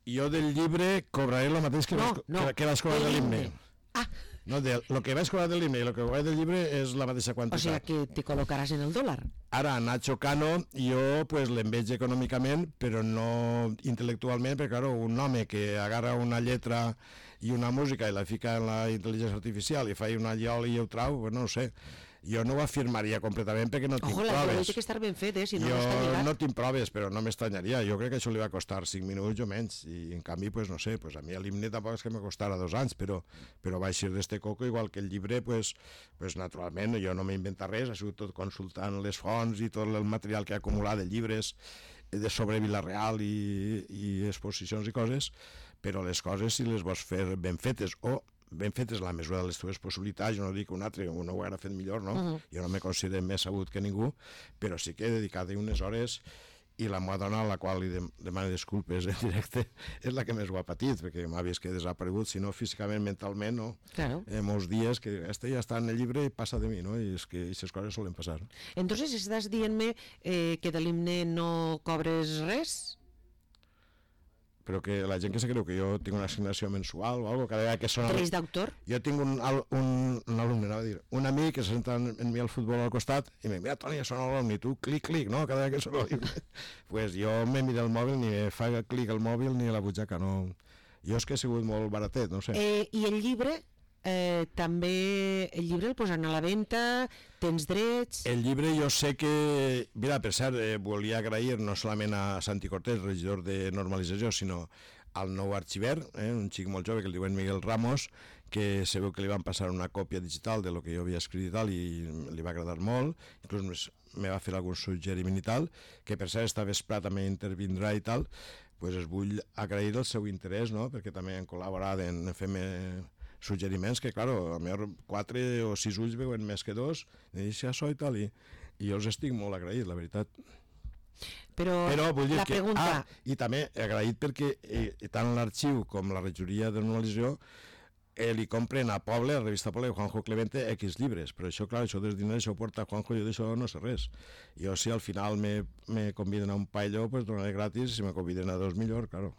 Jo del llibre cobraré el mateix que, no, vas, no, que, que vas cobrar de l'himne. Ah. No, de, lo que vaig cobrar de l'himne i el que vaig del llibre és la mateixa quantitat. O sigui que te col·locaràs en el dòlar. Ara, Nacho Cano, jo pues, l'enveig econòmicament, però no intel·lectualment, perquè claro, un home que agarra una lletra i una música i la fica en la intel·ligència artificial i fa una lloli i ho trau, pues no ho sé. Jo no ho afirmaria completament perquè no tinc Ojo, proves. Ojo, la té que estar ben fet, eh? Si no, jo no està lligat. no tinc proves, però no m'estranyaria. Jo crec que això li va costar cinc minuts o menys, i en canvi, pues, no sé, pues, a mi l'himne tampoc és que me costara dos anys, però, però va eixir d'este coco, igual que el llibre, pues, pues, naturalment, jo no m'he inventat res, ha sigut tot consultant les fonts i tot el material que he acumulat de llibres de sobre Vila-real i, i exposicions i coses, però les coses si les vols fer ben fetes o ben fetes la mesura de les teves possibilitats, jo no dic un altre, un ho haurà fet millor, no? Uh -huh. Jo no me considero més sabut que ningú, però sí que he dedicat unes hores, i la meva dona, a la qual li demano disculpes en directe, és la que més ho ha patit, perquè m'ha vist que he desaparegut, si no físicament, mentalment, no? Claro. Eh, molts dies que este ja està en el llibre i passa de mi, no? I és que aquestes coses solen passar. Entonces, estàs dient-me eh, que de l'himne no cobres res? Però que la gent que se creu que jo tinc una assignació mensual o alguna cosa, cada vegada que sona... Drets d'autor? Jo tinc un, un, un alumne, anava a dir, un amic que se senta en, en mi al futbol al costat i em diu, mira, Toni, ja sona l'alumne, i tu, clic, clic, no? Cada vegada que sona l'alumne. Pues jo me mira el mòbil, ni me fa clic al mòbil ni a la butxaca, no. Jo és que he sigut molt baratet, no sé. Eh, I el llibre? Eh, també el llibre el posen a la venda, tens drets... El llibre jo sé que... Mira, per cert, eh, volia agrair no solament a Santi Cortés, regidor de normalització, sinó al nou arxiver, eh, un xic molt jove que el diuen Miguel Ramos, que se veu que li van passar una còpia digital de lo que jo havia escrit i tal, i li va agradar molt, inclús me va fer algun suggeriment i tal, que per cert esta vesprà també intervindrà i tal, pues es vull agrair el seu interès, no?, perquè també han col·laborat en fer-me suggeriments que, claro, a millor quatre o sis ulls veuen més que dos, i això i tal, i, i jo els estic molt agraït, la veritat. Però, Però vull dir la que, pregunta... ah, i també agraït perquè eh, tant l'arxiu com la regidoria de normalització eh, li compren a Poble, a la revista Poble, Juanjo Clemente, X llibres, però això, clar, això dels diners això ho porta Juanjo, jo d'això no sé res. Jo si al final me, me conviden a un paelló, pues donaré gratis, si me conviden a dos millor, claro.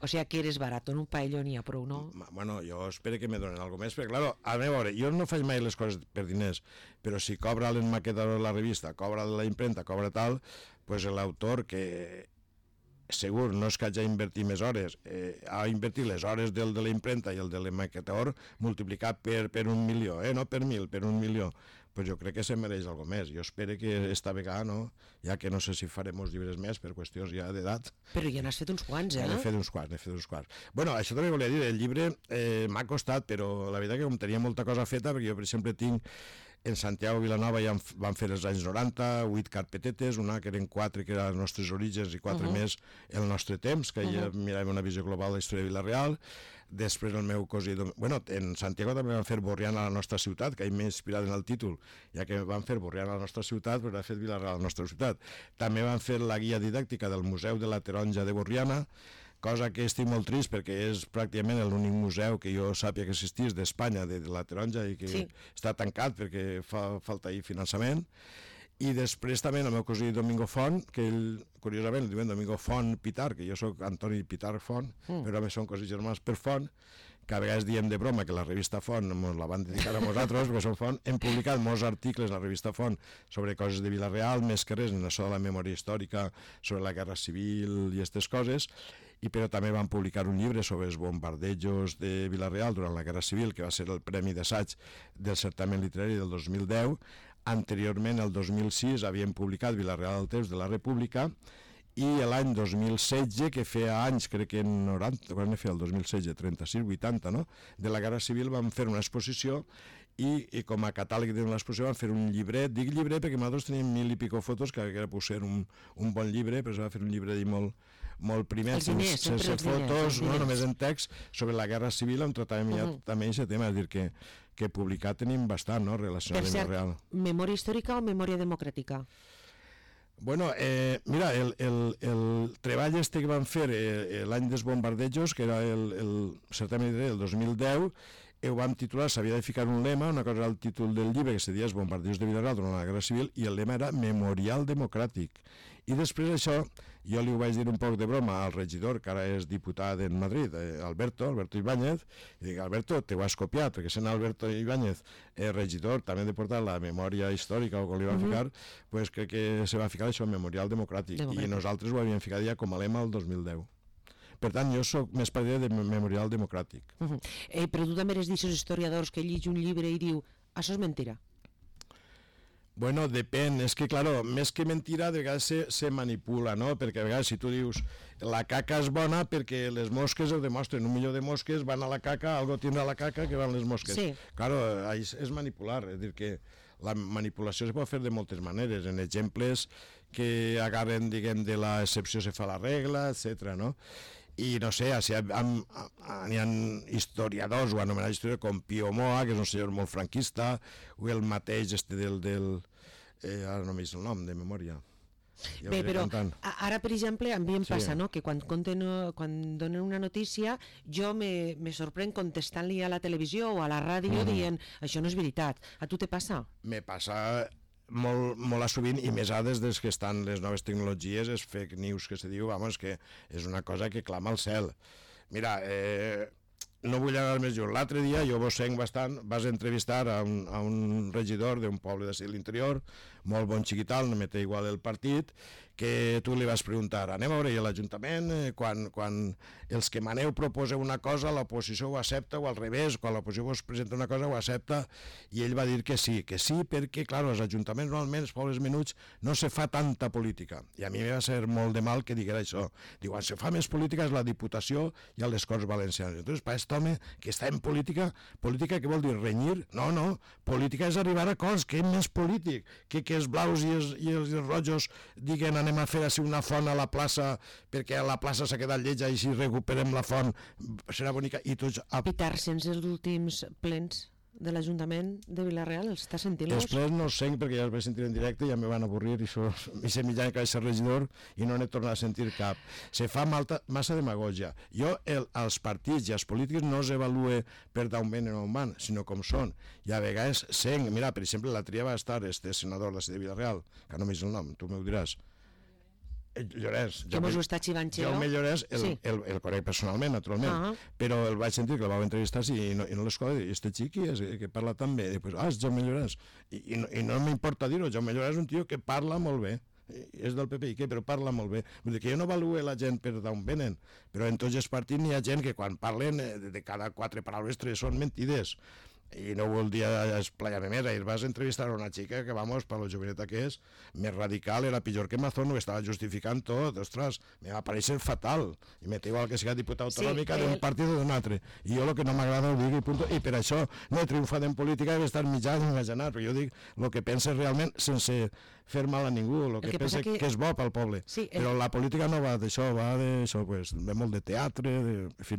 O sigui que eres barat, en un paelló n'hi ha prou, no? Bueno, jo espero que me donen alguna més, perquè, claro, a veure, jo no faig mai les coses per diners, però si cobra l'enmaquetador de la revista, cobra la imprenta, cobra tal, pues l'autor que segur no és que hagi invertit més hores, eh, ha invertit les hores del de la imprenta i el de l'enmaquetador multiplicat per, per un milió, eh, no per mil, per un milió. Pues jo crec que se mereix alguna més. Jo espero que esta vegada, no, ja que no sé si farem uns llibres més per qüestions ja d'edat. Però ja n'has fet uns quants, eh? Ja n'he fet uns quants, n'he fet uns quants. Bueno, això també volia dir, el llibre eh, m'ha costat, però la veritat que com tenia molta cosa feta, perquè jo, per exemple, tinc en Santiago Vilanova ja van fer els anys noranta, vuit carpetetes, una que eren quatre, que eren els nostres orígens, i quatre uh -huh. més el nostre temps, que uh -huh. ja miràvem una visió global de la història de Vila-real. Després el meu cosí... Bueno, en Santiago també van fer Borriana a la nostra ciutat, que m'he inspirat en el títol, ja que van fer Borriana a la nostra ciutat, però ha fet Vila-real a la nostra ciutat. També van fer la guia didàctica del Museu de la Taronja de Borriana, cosa que estic molt trist perquè és pràcticament l'únic museu que jo sàpiga que existís d'Espanya de, de la Taronja i que sí. està tancat perquè fa falta ahir finançament. I després també el meu cosí Domingo Font, que ell, curiosament, el diuen Domingo Font Pitar, que jo sóc Antoni Pitar Font, mm. però també són cosins germans per Font, que a vegades diem de broma que la revista Font ens la van dedicar a nosaltres, perquè som Font, hem publicat molts articles a la revista Font sobre coses de Vila-real, més que res en això de la memòria històrica, sobre la Guerra Civil i aquestes coses, i però també van publicar un llibre sobre els bombardejos de Vila-real durant la Guerra Civil, que va ser el Premi d'Assaig del certamen literari del dos mil deu. Anteriorment, el dos mil sis, havien publicat Vila-real al temps de la República, i l'any dos mil setze, que feia anys, crec que en noranta, quan ne feia el dos mil setze, trenta-sis, vuitanta, no?, de la Guerra Civil, van fer una exposició i, i com a catàleg de l'exposició van fer un llibret, dic llibret perquè nosaltres teníem mil i pico fotos, que era potser un, un bon llibre, però es va fer un llibre molt, molt primer, Els diners, sense, sense sempre els diners, fotos, els no diners. només en text, sobre la guerra civil, on tractàvem ja Mhm. també aquest tema, és a dir, que, que publicar tenim bastant, no?, relacionat Per amb el cert, real. memòria històrica o memòria democràtica? Bueno, eh, mira, el, el, el treball este que van fer eh, eh, l'any dels bombardejos, que era el, el certamen del dos mil deu, eh, ho vam titular, s'havia de ficar un lema, una cosa era el títol del llibre, que se deia Els bombardejos de Vila-real durant la Guerra Civil, i el lema era Memorial Democràtic. I després d'això, jo li ho vaig dir un poc de broma al regidor, que ara és diputat en Madrid, eh, Alberto, Alberto Ibáñez, i dic, Alberto, te ho has copiat, perquè sent Alberto Ibáñez eh, regidor, també de portar la memòria històrica, o com li van Mhm. ficar, pues crec que se va ficar això, Memorial Democràtic, Democràtic. i nosaltres ho havíem ficat ja com a lema el dos mil deu. Per tant, jo sóc més partidari de Memorial Democràtic. Uh -huh. eh, però tu també eres d'aixòs historiadors que llig un llibre i diu això és mentira. Bueno, depèn, és que, claro, més que mentira, de vegades se, se manipula, no? Perquè a vegades si tu dius la caca és bona perquè les mosques ho demostren, un milió de mosques van a la caca, algo tindrà la caca que van les mosques. Sí. Claro, és, és manipular, és dir que la manipulació es pot fer de moltes maneres, en exemples que agarren, diguem, de l'excepció se fa la regla, etcètera, no? I no sé, si n'hi ha historiadors o anomenats historiadors com Pío Moa, que és un senyor molt franquista, o el mateix este del... del eh, ara no m'he vist el nom, de memòria. Ja Bé, però cantant. a- ara, per exemple, a mi em Sí. passa, no?, que quan, conten, quan donen una notícia jo me, me sorprèn contestant-li a la televisió o a la ràdio Mm. dient això no és veritat. A tu te passa? Me passa molt, molt a sovint, i més ara des des que estan les noves tecnologies, és fake news que se diu, vamos, que és una cosa que clama al cel. Mira, eh, no vull anar més lluny. L'altre dia, jo vos senc bastant, vas entrevistar a un, a un regidor d'un poble de l'interior, molt bon xiquital, no me té igual el partit, que tu li vas preguntar, anem a veure a l'Ajuntament, eh, quan, quan els que maneu proposeu una cosa, l'oposició ho accepta, o al revés, quan l'oposició vos presenta una cosa ho accepta, i ell va dir que sí, que sí, perquè, clar, als ajuntaments normalment, els pobles menuts, no se fa tanta política. I a mi va ser molt de mal que diguera això. Diu, quan se fa més política és la Diputació i a les Corts Valencianes. Entonces, per aquest home que està en política, política què vol dir? Renyir? No, no, política és arribar a acords, què més polític? Que, que els blaus i els, i els, i els rojos diguen anem a fer així una font a la plaça perquè a la plaça s'ha quedat lletja i si recuperem la font serà bonica i tots... A... Pitar sense els últims plens de l'Ajuntament de Vila-real, els està sentint-los? Després no els senc perquè ja els vaig sentir en directe i ja me van avorrir i això, i se mitjà que vaig ser regidor i no n'he tornat a sentir cap. Se fa malta, massa demagogia. Jo el, els partits i els polítics no els evalue per d'on venen o on van, sinó com són. I a vegades senc, mira, per exemple, la tria va estar este senador de Vila-real, que no m'he vist el nom, tu m'ho diràs. Llorens. Que mos ho està xivant-xeo? Jaume Llorens, el, Sí. el, el conec personalment, naturalment, Ah. però el vaig sentir que el vau entrevistar sí, i no, i no l'escola, i este xiqui és, que parla tan bé, i pues, ah, és Jaume Llorens, i, i no, i no m'importa dir-ho, Jaume Llorens és un tio que parla molt bé, i és del P P i què, però parla molt bé. Vull dir que jo no avaluo la gent per d'on venen, però en tots els partits n'hi ha gent que quan parlen eh, de cada quatre paraules tres són mentides. I no vol dir esplayar-me més. Ahir vas entrevistar a una xica que, vamos, per la joveneta que és, més radical, era pitjor que Mazón, ho estava justificant tot, ostres, me va parèixer fatal. I me té igual que sigui diputat autonòmica Sí, d'un el- partit o d'un altre. I jo el que no m'agrada ho dic i punt. I per això no he triomfat en política, he d'estar mitjà i imaginar, però jo dic el que pensa realment sense fer mal a ningú, el que, que pensa passa que- que... que és bo pel poble. Sí, el- Però la política no va d'això, va d'això, pues, de molt de teatre, de... en fi.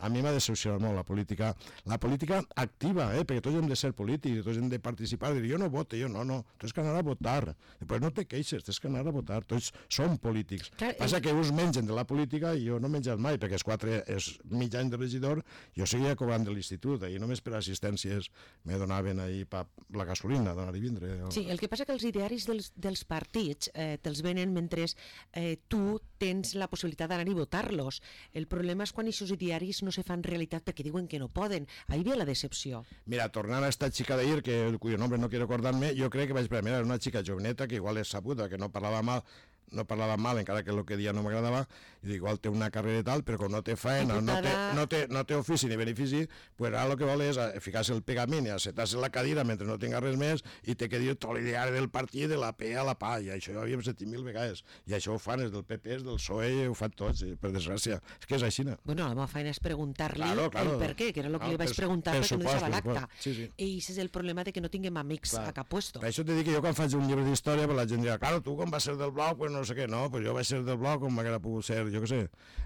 A mi m'ha decepcionat molt la política, la política activa, eh? Perquè tots hem de ser polítics, tots hem de participar, dir jo no voto, jo no, no, tu has que anar a votar, després no te queixes, tens que anar a votar, tots som polítics. Clar, Passa el- que uns mengen de la política i jo no he menjat mai, perquè els quatre, és mig any de regidor, jo seguia cobrant de l'institut, i només per assistències me donaven ahir pa la gasolina, d'anar i vindre. Sí, el que passa que els idearis dels, dels partits eh, te'ls venen mentre eh, tu tens la possibilitat d'anar i votar-los. El problema és quan aquests idearis no se fan realitat perquè diuen que no poden. Ahí ve la decepció. Mira, tornant a esta chica d'ahir, que cuyo nombre no quiero acordarme, jo crec que vaig veure, mira, era una xica joveneta que igual és sabuda, que no parlava mal, no parlava mal, encara que el que dia no m'agradava, i dic, igual té una carrera i tal, però com no té feina, no té, Diputada- no, té, no té ofici ni benefici, pues ara el que vol és eh, ficar-se el pegament i assetar-se la cadira mentre no tinga res més i té que dir tot l'ideari del partit de la P a la PA, i això ja ho havíem sentit mil vegades, i això ho fan els del P P, els del P S O E, ho fan tots, i, per desgràcia, és que és així. Bueno, la meva feina és preguntar-li Claro, claro. el per què, que era el que Ah, li vaig per- preguntar per perquè no supost, deixava per l'acta. supost. Sí, sí. I aquest és el problema de que no tinguem amics Clar. a cap puesto. Per això t'he dit que jo quan faig un llibre d'història, pues la gent dirà, claro, tu com vas ser del Blau, pues no sé què, no, pues jo vaig ser del bloc com m'haguera pogut ser, jo què sé,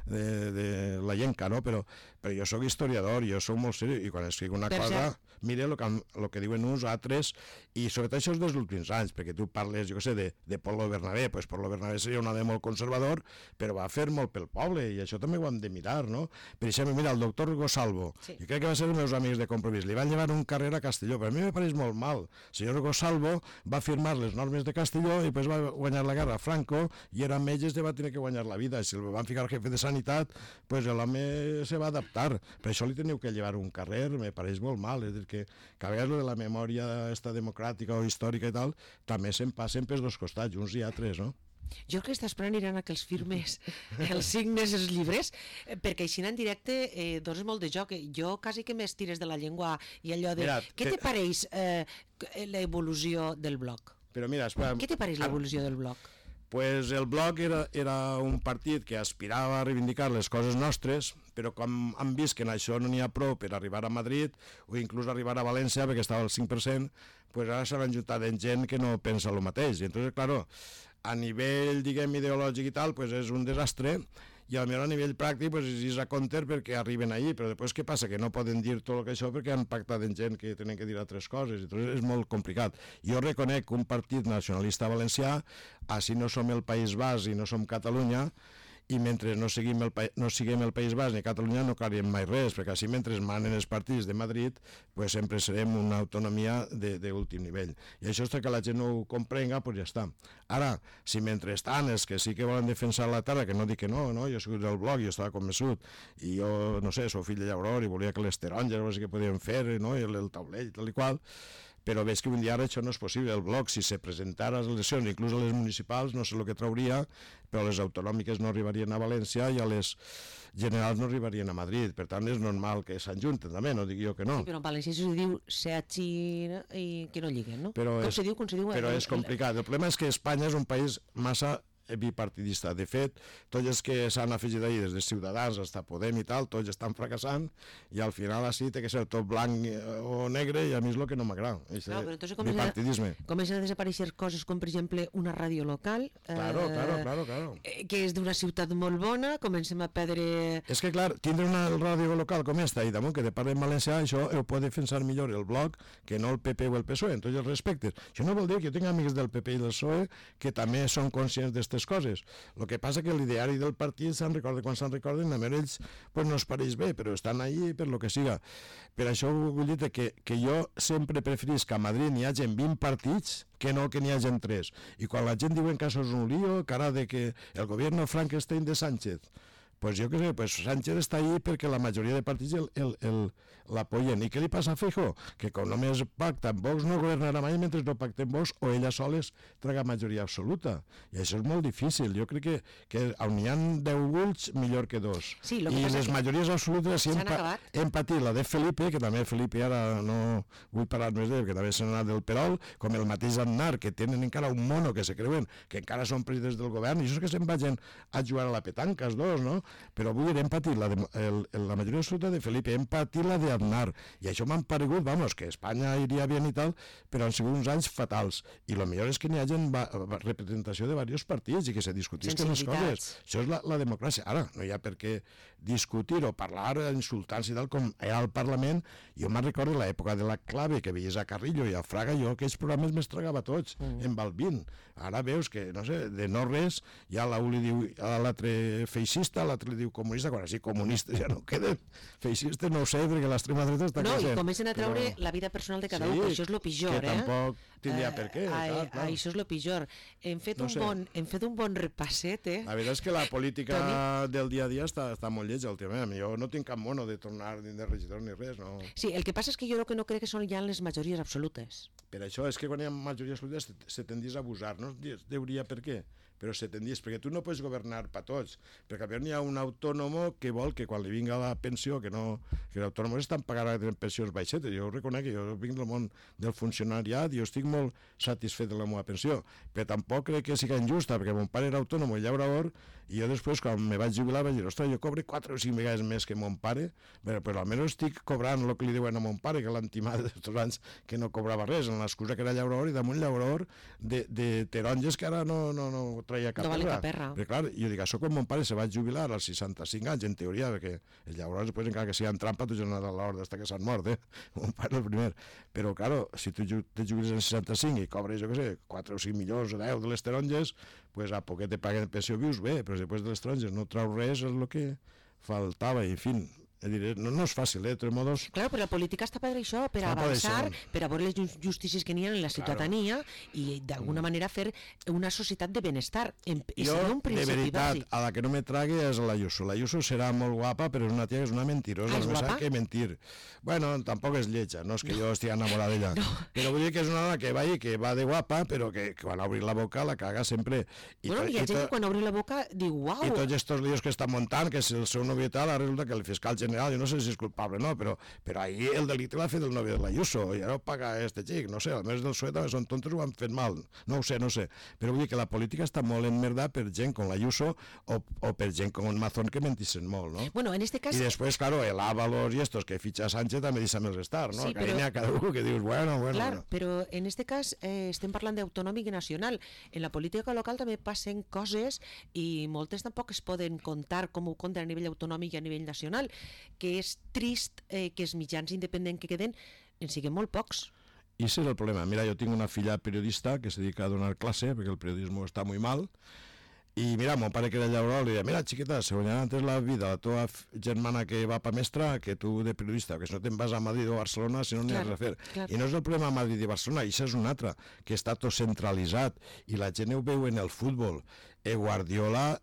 de, de la llenca, no? Però, però jo sóc historiador, jo sóc molt seriós, i quan escric una per cosa, cert, mire el que, lo que diuen uns, altres, i sobretot això és dels últims anys, perquè tu parles, jo què sé, de, de Polo Bernabé, pues Polo Bernabé seria un home molt conservador, però va fer molt pel poble, i això també ho hem de mirar, no? Per exemple, mira, el doctor Gosalvo, sí. Jo crec que va ser els meus amics de Compromís, li van llevar un carrer a Castelló, però a mi me pareix molt mal. El senyor Gosalvo va firmar les normes de Castelló i després va guanyar la guerra a Franco i era metge, va tenir que guanyar la vida. Si el van ficar jefe de sanitat, pues l'home se va adaptar. Per això li teniu que llevar un carrer, me pareix molt mal. És a dir, que, que a vegades de la memòria esta democràtica o històrica i tal, també se'n passen pels dos costats, uns i altres, no? Jo crec que està esperant Irán a que els firmes els signes, els llibres, perquè així en directe eh, dones molt de joc. Jo quasi que m'estires de la llengua i allò de... Mira, què te que... pareix eh, l'evolució del bloc? Però mira, espera... Què te pareix l'evolució del bloc? Pues el bloc era, era un partit que aspirava a reivindicar les coses nostres, però com han vist que en això no n'hi ha prou per arribar a Madrid o inclús arribar a València, perquè estava al cinc per cent, pues ara s'han ajuntat en gent que no pensa el mateix. I entonces, claro, a nivell, diguem, ideològic i tal, pues és un desastre, i a nivell pràctic pues, és a compte perquè arriben allí, però després què passa? Que no poden dir tot el que això perquè han pactat amb gent que tenen que dir altres coses, i és molt complicat. Jo reconec que un partit nacionalista valencià, així no som el País Basc i no som Catalunya, i mentre no siguem el, no siguem el País Basc ni Catalunya no caríem mai res, perquè així mentre manen els partits de Madrid pues sempre serem una autonomia d'últim nivell. I això és que la gent no ho comprenga, pues ja està. Ara, si mentrestant els que sí que volen defensar la terra, que no dic que no, no? Jo soc del bloc, jo estava convençut, i jo, no sé, soc fill de llauror i volia que les taronges o sigui que podien fer, no? I el, el taulell, tal i qual, però veig que un dia ara això no és possible. El bloc, si se presentara a les eleccions, inclús a les municipals, no sé el que trauria, però les autonòmiques no arribarien a València i a les generals no arribarien a Madrid. Per tant, és normal que s'enjunten també, no dic jo que no. Sí, però en València se diu seatxi i que no lliguen, no? Però com és, se diu, com se diu? Però el, és complicat. El problema és que Espanya és un país massa bipartidista. De fet, tots els que s'han afegit ahir des de Ciutadans fins a Podem i tal, tots estan fracassant i al final així té que ser tot blanc o negre i a mi és el que no m'agrada. No, però entonces comencen a, comencen a desaparèixer coses com per exemple una ràdio local claro, eh, claro, claro, claro. que és d'una ciutat molt bona, comencem a perdre... És que clar, tindre una ràdio local com esta i damunt que te parla en valencià, això ho pot defensar millor el bloc que no el P P o el P S O E, en tots els respectes. Això no vol dir que jo tinc amics del P P i del P S O E que també són conscients d'aquestes coses. El que passa que l'ideari del partit se'n recorda quan se'n recorden, a ells pues, no es pareix bé, però estan allí per lo que siga. Per això vull dir que, que jo sempre preferís que a Madrid n'hi hagi vint partits que no que n'hi hagi tres. I quan la gent diuen que això és un lío, cara de que el govern Frankenstein de Sánchez, pues jo què sé, pues Sánchez està ahí perquè la majoria de partits el, el, el, l'apoyen. I què li passa a Feijóo? Que com només pacta amb Vox no governarà mai mentre no pacta amb Vox o ella soles traga majoria absoluta. I això és molt difícil. Jo crec que, que on hi ha deu ulls, millor que dos. Sí, I les majories absolutes hem, pa, hem patit la de Felipe, que també Felipe ara no vull parlar més d'ell, que també s'ha anat del Perol, com el mateix Aznar, que tenen encara un mono que se creuen que encara són presidents del govern, i això és que se'n vagin a jugar a la petanca, els dos, no? Però avui hem patit la, de, el, la majoria absoluta de Felipe, hem patit la de Aznar, i això m'han paregut, vamos, que Espanya iria bé i tal, però han sigut uns anys fatals, i el millor és que n'hi hagi representació de diversos partits i que se discutisquen les coses. Això és la, la democràcia. Ara, no hi ha per què discutir o parlar, insultar-se i tal, com era al Parlament. Jo me'n recordo l'època de la clave, que veies a Carrillo i a Fraga, jo aquells programes me'ls tragava tots, mm. en Balbín. Ara veus que, no sé, de no res, ja l'un li diu a l'altre feixista, l'altre li diu comunista, quan així comunistes ja no queden. Feixistes no ho sé, perquè l'extrema dreta està no, creixent. No, i comencen a treure però... la vida personal de cada sí, un, que això és el pitjor, que eh? tampoc tindria per què. Uh, clar, clar. Això és el pitjor. Hem fet, no un sé. bon, hem fet un bon repasset, eh? La veritat és que la política Toni... del dia a dia està, està molt lletja, últimament. Jo no tinc cap mono de tornar ni de regidor ni res, no. Sí, el que passa és que jo el que no crec que són ja les majories absolutes. Per això és que quan hi ha majories absolutes se, se tendís a abusar, no deuria per què, però se tendís, perquè tu no pots governar per tots, perquè a veure n'hi ha un autònomo que vol que quan li vinga la pensió, que no, que l'autònom estan pagant pensions baixetes, jo ho reconec, que jo vinc del món del funcionariat i jo estic molt satisfet de la meva pensió, però tampoc crec que sigui injusta, perquè mon pare era autònom i llaurador, i jo després, quan me vaig jubilar, vaig dir, ostres, jo cobre quatre o cinc vegades més que mon pare, però, però almenys estic cobrant el que li diuen a mon pare, que l'han timat d'estos anys que no cobrava res, en l'excusa que era llaurador, i damunt llaurador de, de taronges que ara no, no, no traia cap no vale perra. cap perra. Però clar, jo dic, això quan mon pare se va jubilar als seixanta-cinc anys, en teoria, perquè llavors després encara que sigui en trampa tu ja no has a l'hora d'estar que s'han mort, eh? Mon pare el primer. Però clar, si tu te jubiles en seixanta-cinc i cobres, jo què sé, quatre o cinc milions o deu de les taronges, pues a poquet te paguen pensió vius bé, però després de les taronges no trau res, és el que faltava, i en fi. Diré, no, no és fàcil, eh, de tots modos. Claro, però la política està per això, per Està per avançar, això. per a veure les justícies que n'hi ha en la ciutadania i d'alguna manera fer una societat de benestar. En, i Jo, seria un de principi veritat, bàsic. a la que no me trague és la Ayuso. La Ayuso serà molt guapa, però és una tia que és una mentirosa. Ah, és només guapa? sap que mentir. Bueno, tampoc és lletja, no és que no. jo estigui enamorat d'ella. No. Però vull dir que és una dona que va i que va de guapa, però que, que quan obrir la boca la caga sempre. I Bueno, to, hi ha i gent to, que quan obri la boca diu, uau, I tots aquests líos que estan muntant, que si el seu novio i tal, resulta que el fiscal general, jo no sé si és culpable, no, però, però ahir el delicte l'ha fet el novio de l'Ayuso, i ara ho paga este xic, no sé, almenys del P S O E també són tontos, ho han fet mal, no ho sé, no sé, però vull dir que la política està molt enmerda per gent com l'Ayuso o, o per gent com un Mazón que mentissin molt, no? bueno, en este cas... I després, claro, el Ábalos i estos que fitxa Sánchez també deixa'm els estar, no? Sí, que ahí però- n'hi ha cada un que dius, bueno, bueno... Clar, bueno. però en este cas eh, estem parlant d'autonòmic i nacional. En la política local també passen coses i moltes tampoc es poden contar com ho compten a nivell autonòmic i a nivell nacional, que és trist eh, que els mitjans independents que queden en siguin molt pocs. I ese és el problema. Mira, jo tinc una filla periodista que se dedica a donar clase, perquè el periodisme està molt mal, i mira, mon pare que era llaurador li deia, mira, xiqueta, se guanyarà antes la vida la teva f- germana que va pa mestra que tu de periodista, que si no te'n vas a Madrid o Barcelona, si no n'hi has Clar, res a fer. clar. I no és el problema a Madrid i Barcelona, això és un altre, que està tot centralitzat, i la gent ho veu en el futbol. Eh, Guardiola,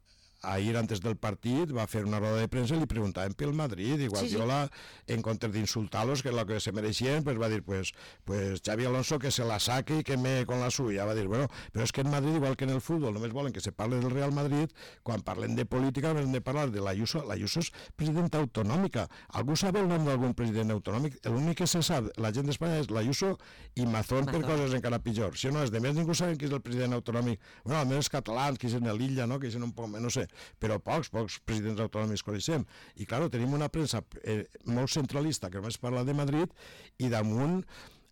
ahir antes del partit, va fer una roda de premsa i li preguntaven pel Madrid, i Guardiola, sí, sí. en comptes d'insultar-los, que és el que se mereixien, pues va dir, pues, pues Xavi Alonso que se la saque i que me con la suya. Va dir, bueno, però és que en Madrid, igual que en el futbol, només volen que se parle del Real Madrid, quan parlen de política només hem de parlar de l'Ayuso. L'Ayuso és presidenta autonòmica. Algú sap el nom d'algun president autonòmic? L'únic que se sap, la gent d'Espanya, és l'Ayuso i Mazón, per Mazón. coses encara pitjor. Si no, els de més ningú saben qui és el president autonòmic. Bueno, almenys els catalans, qui és en l'illa, no? Que és un poc, no sé, però pocs, pocs presidents autonòmics coneixem. I, clar, tenim una premsa eh, molt centralista que només parla de Madrid i damunt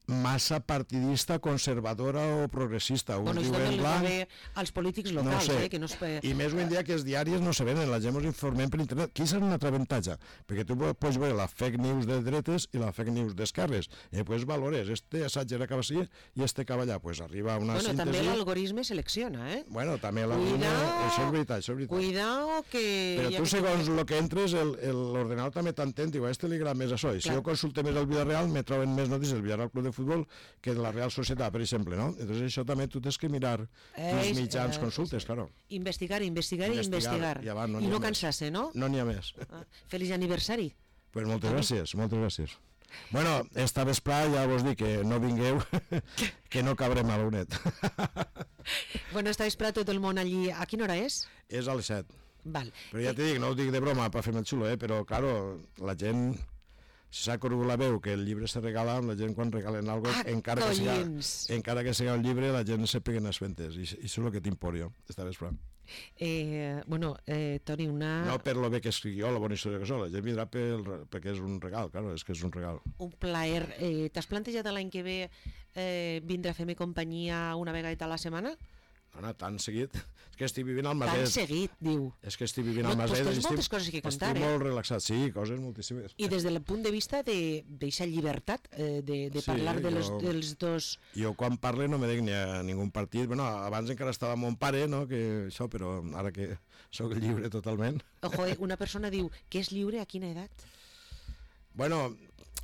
massa partidista, conservadora o progressista. Uns Bueno, això diuen també li va blanc, bé als polítics no locals, sé. eh, que no es... pe- I més avui en dia que els diaris no se venen, la gent ens informem per internet. Qui és un altre avantatge? Perquè tu pots veure la fake news de dretes i la fake news d'esquerres. I pues valores, este assaig era cap així i este cap allà. Pues arriba una Bueno, síntesi... també l'algoritme selecciona, eh? Bueno, també la Cuidao. això és veritat, això és veritat. Cuidao que... Però ja tu, que segons el que entres, el- el- l'ordenador també t'entén, diu, a este li agrada més això. I si Clar. jo consulte més el Villarreal, me troben més notícies del Villarreal Club de Futbol que de la Real Societat, per exemple, no? Entonces això també tu tens que mirar quins És, mitjans eh, consultes, claro. Investigar, investigar i Investigar, investigar. i avant no I n'hi ha no més. cansar-se, no? No n'hi ha més. Ah, feliç aniversari. Pues moltes gràcies, moltes gràcies. Bueno, esta vesprada ja vos dic que no vingueu, que no cabrem a l'unet. Bueno, està esperat tot el món allí. A quina hora és? És a les set. Val. Però ja t'he dit, no ho dic de broma per fer-me el xulo, eh? Però, claro, la gent... Si s'ha corregut la veu que el llibre se regala, la gent quan regalen alguna cosa, Ah, encara, que siga, collins. encara que siga un llibre, la gent se peguen les fentes. I, i això és el que t'impor jo, esta vesprada. Eh, bueno, eh, Toni, una... No per lo bé que escric jo, la bona història que soc, la gent vindrà pel, perquè és un regal, claro, és que és un regal. Un plaer. Eh, T'has plantejat l'any que ve eh, vindre a fer-me companyia una vegada a la setmana? Anna, tan seguit, és que estic vivint al Tan Maset. seguit, diu. És que estic vivint No, al pues Maset. tens estic- moltes coses que contar, estic eh? molt relaxat, sí, coses moltíssimes. I des del punt de vista d'aquesta llibertat eh, de, de Sí, parlar de les, jo- dels dos... Jo quan parle no me dic ni a ningú partit, bueno, abans encara estava mon pare, no, que això, però ara que sóc lliure totalment. Ojo, eh, una persona diu que és lliure a quina edat? Bueno,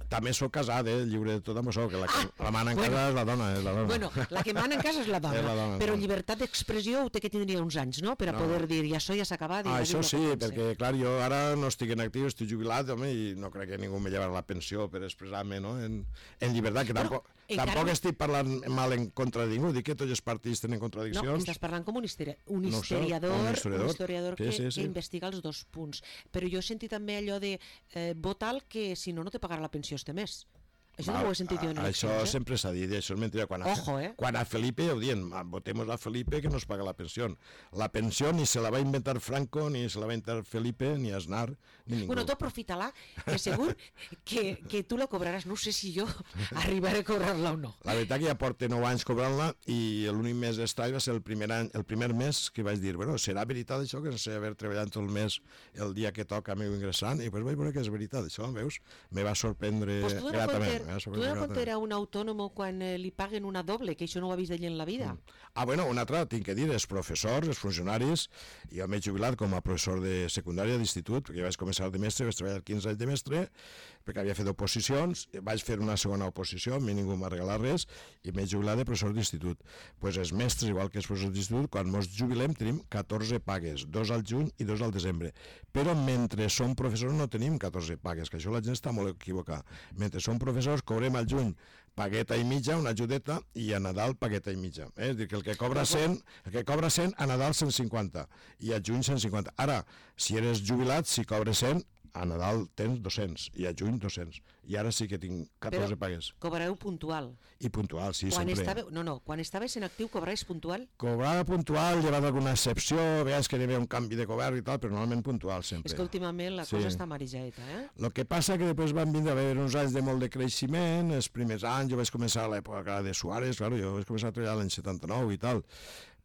també sóc casat, eh, lliure de tot amb això, que la, que Ah, la mana en bueno. casa és la dona, és la dona. Bueno, la que mana en casa és la dona, És la dona, però no. llibertat d'expressió ho té que tindria uns anys, no?, per a No. poder dir, ja això ja s'ha acabat. i Ah, ja això dic el sí, que pense. perquè, clar, jo ara no estic en actiu, estic jubilat, home, i no crec que ningú me llevarà la pensió per expressar-me, no?, en, en llibertat, que Bueno, tampoc, encara- tampoc estic parlant mal en contra de ningú, dic que tots els partits tenen No, contradiccions. estàs parlant com un, histeri un No ho sé, historiador, un un historiador. historiador, Sí, que, sí, sí. que investiga els dos punts. Però jo he sentit també allò de eh, vota'l que si no, no te pagarà la pensió este mes. Això no ho he sentit jo en Això eleccions, eh? sempre s'ha dit, això és mentida. Quan a, Ojo, eh? quan a Felipe ho diuen, votemos a Felipe que nos paga la pensió. La pensió ni se la va inventar Franco, ni se la va inventar Felipe, ni Aznar, ni ningú. Bueno, tu aprofita-la, que segur que, que tu la cobraràs. No sé si jo arribaré a cobrar-la o no. La veritat que ja porta nou anys cobrant-la i l'únic mes estrany va ser el primer, any, el primer mes que vaig dir, bueno, serà veritat això que no sé haver treballat tot el mes el dia que toca meu ingressant, i després vaig veure que és veritat, això, veus? Me va sorprendre Pues tu de gratament. Tu de compte era un autònom quan eh, li paguen una doble, que això no ho ha vist ell en la vida. Mm. Ah, bueno, una altra, tinc que dir, els professors, els funcionaris, jo m'he jubilat com a professor de secundària d'institut, perquè vaig començar de mestre, vaig treballar quinze anys de mestre, perquè havia fet oposicions, vaig fer una segona oposició, a mi ningú m'ha regalat res, i m'he jubilat de professor d'institut. Doncs pues els mestres, igual que els professors d'institut, quan ens jubilem tenim catorze pagues, dos al juny i dos al desembre. Però mentre som professors no tenim catorze pagues, que això la gent està molt equivocada. Mentre som professors cobrem al juny pagueta i mitja, una ajudeta, i a Nadal pagueta i mitja. Eh? És a dir, que el que cobra cent, el que cobra cent, a Nadal cent cinquanta, i a juny cent cinquanta. Ara, si eres jubilat, si cobres cent, a Nadal tens dos-cents, i a juny dos-cents. I ara sí que tinc catorze Però pagues. cobrareu puntual. I puntual, sí, Quan sempre. estava, no, no, quan estaves en actiu cobraves puntual? Cobrava puntual, llevat alguna excepció, veies que hi havia un canvi de govern i tal, però normalment puntual sempre. És que últimament la Sí. cosa està marejaeta, eh? El que passa que després van vindre a haver uns anys de molt de creixement, els primers anys jo vaig començar a l'època de Suárez, claro, jo vaig començar a treballar l'any setanta-nou i tal,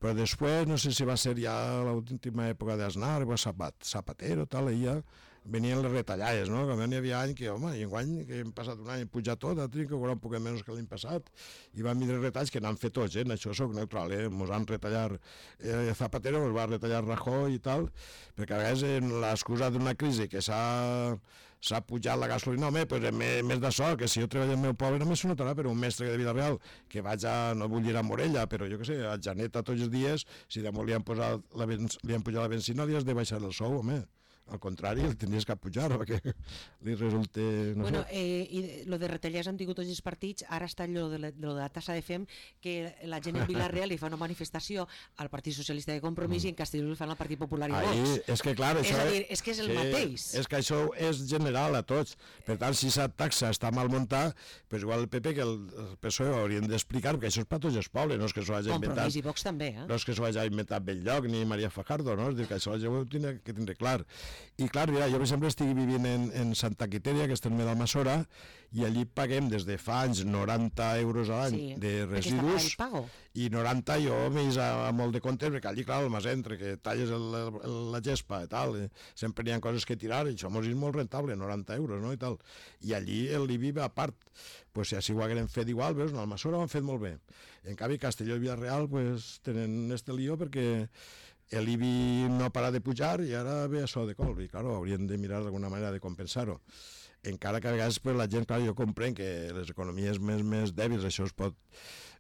però després, no sé si va ser ja l'última època d'Aznar, o Zapat, Zapatero, tal, i ja venien les retallades, no? Que n'hi havia any que, home, i enguany, que hem passat un any hem pujat tot, altre que cobrar un poc menys que l'any passat, i van vindre retalls que n'han fet tots, eh? En això soc neutral, eh? Mos han retallat eh, Zapatero, mos va retallar Rajoy i tal, perquè a vegades en l'excusa d'una crisi que s'ha s'ha pujat la gasolina, home, pues, més, més d'això, que si jo treballo al meu poble només s'ho notarà, però un mestre de Vida Real que vaig a, no vull dir a Morella, però jo què sé, a Janeta tots els dies, si de molt li han, posat la, li han pujat la benzina, li has de baixar el sou, home. Al contrari, el tindries que pujar perquè li resulta... No bueno, sé. eh, i lo de retallars han tingut tots els partits, ara està allò de la, de, lo de la tassa de fem, que la gent en Vila-real li fa una manifestació al Partit Socialista de Compromís mm. i en Castelló li fan al Partit Popular i Ahí, Vox. és que clar, això... És a dir, és que és el sí, mateix. És que això és general a tots. Per tant, si aquesta taxa està mal muntada, pues igual el P P que el P S O E haurien d'explicar, perquè això és per tots els pobles, no és que s'ho hagi inventat... Compromís i Vox també, eh? No és que s'ho hagi inventat Belllloc ni Maria Fajardo, no? És dir, que això la gent ho tindrà que tindre clar. I clar, mira, jo per exemple estic vivint en, en Santa Quiteria, que està en d'Almassora, i allí paguem des de fa anys noranta euros a l'any Sí, de perquè està residus, el pago. i noranta jo m'he vist a, a molt de compte, perquè allí, clar, el mas entre, que talles el, el, la gespa i tal, eh, sempre hi ha coses que tirar, i això mos és molt rentable, noranta euros, no?, i tal. I allí l'I B I va a part, pues, si així ho hagueren fet igual, veus, en Almassora ho han fet molt bé. I en canvi, Castelló i Villarreal, pues, tenen este lío perquè l'I B I no para de pujar i ara ve això de colp, i clar, haurien de mirar d'alguna manera de compensar-ho. Encara que a vegades pues, la gent, clar, jo comprenc que les economies més, més dèbils això es pot,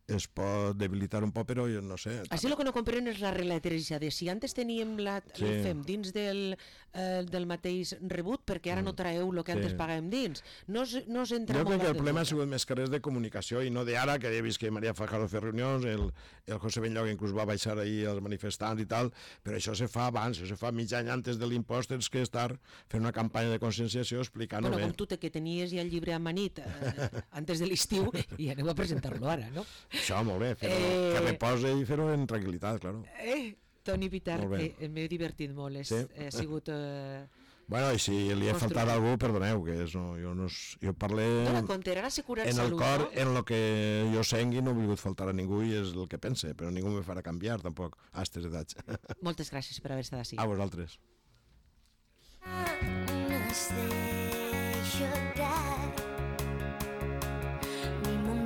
es pot debilitar un poc, però jo no sé. Així el que no comprenen és la relateresa de si antes teníem la, sí. el fem dins del, eh, del mateix rebut, perquè ara no traeu el que Sí. antes pagàvem dins. No, es- no s'entra Jo molt crec que el de problema ha tot. sigut més que res de comunicació i no d'ara, que he vist que Maria Fajardo fer reunions, el, el José Benlloc inclús va baixar ahir als manifestants i tal, però això se fa abans, això se fa mig any antes de l'impost, tens que estar fent una campanya de conscienciació explicant-ho Bueno, bé. com tu te, que tenies ja el llibre amanit eh, antes de l'estiu i aneu a presentar-lo ara, no? Això, molt bé, fer-ho, Eh, que repose i fer-ho en tranquil·litat, claro. Eh, Toni Pitar, Molt bé. eh, m'he divertit molt, és, Sí. ha sigut... Eh... Bueno, i si li he Construir. faltat a algú, perdoneu, que és, no, jo, no, és- jo parlé Dona compte, ara assegurar en el salut, cor, no? en lo que jo sengui, no he volgut faltar a ningú i és el que pense, però ningú me farà canviar, tampoc, a aquestes edats. Moltes gràcies per haver estat així. A vosaltres. Stay your dad.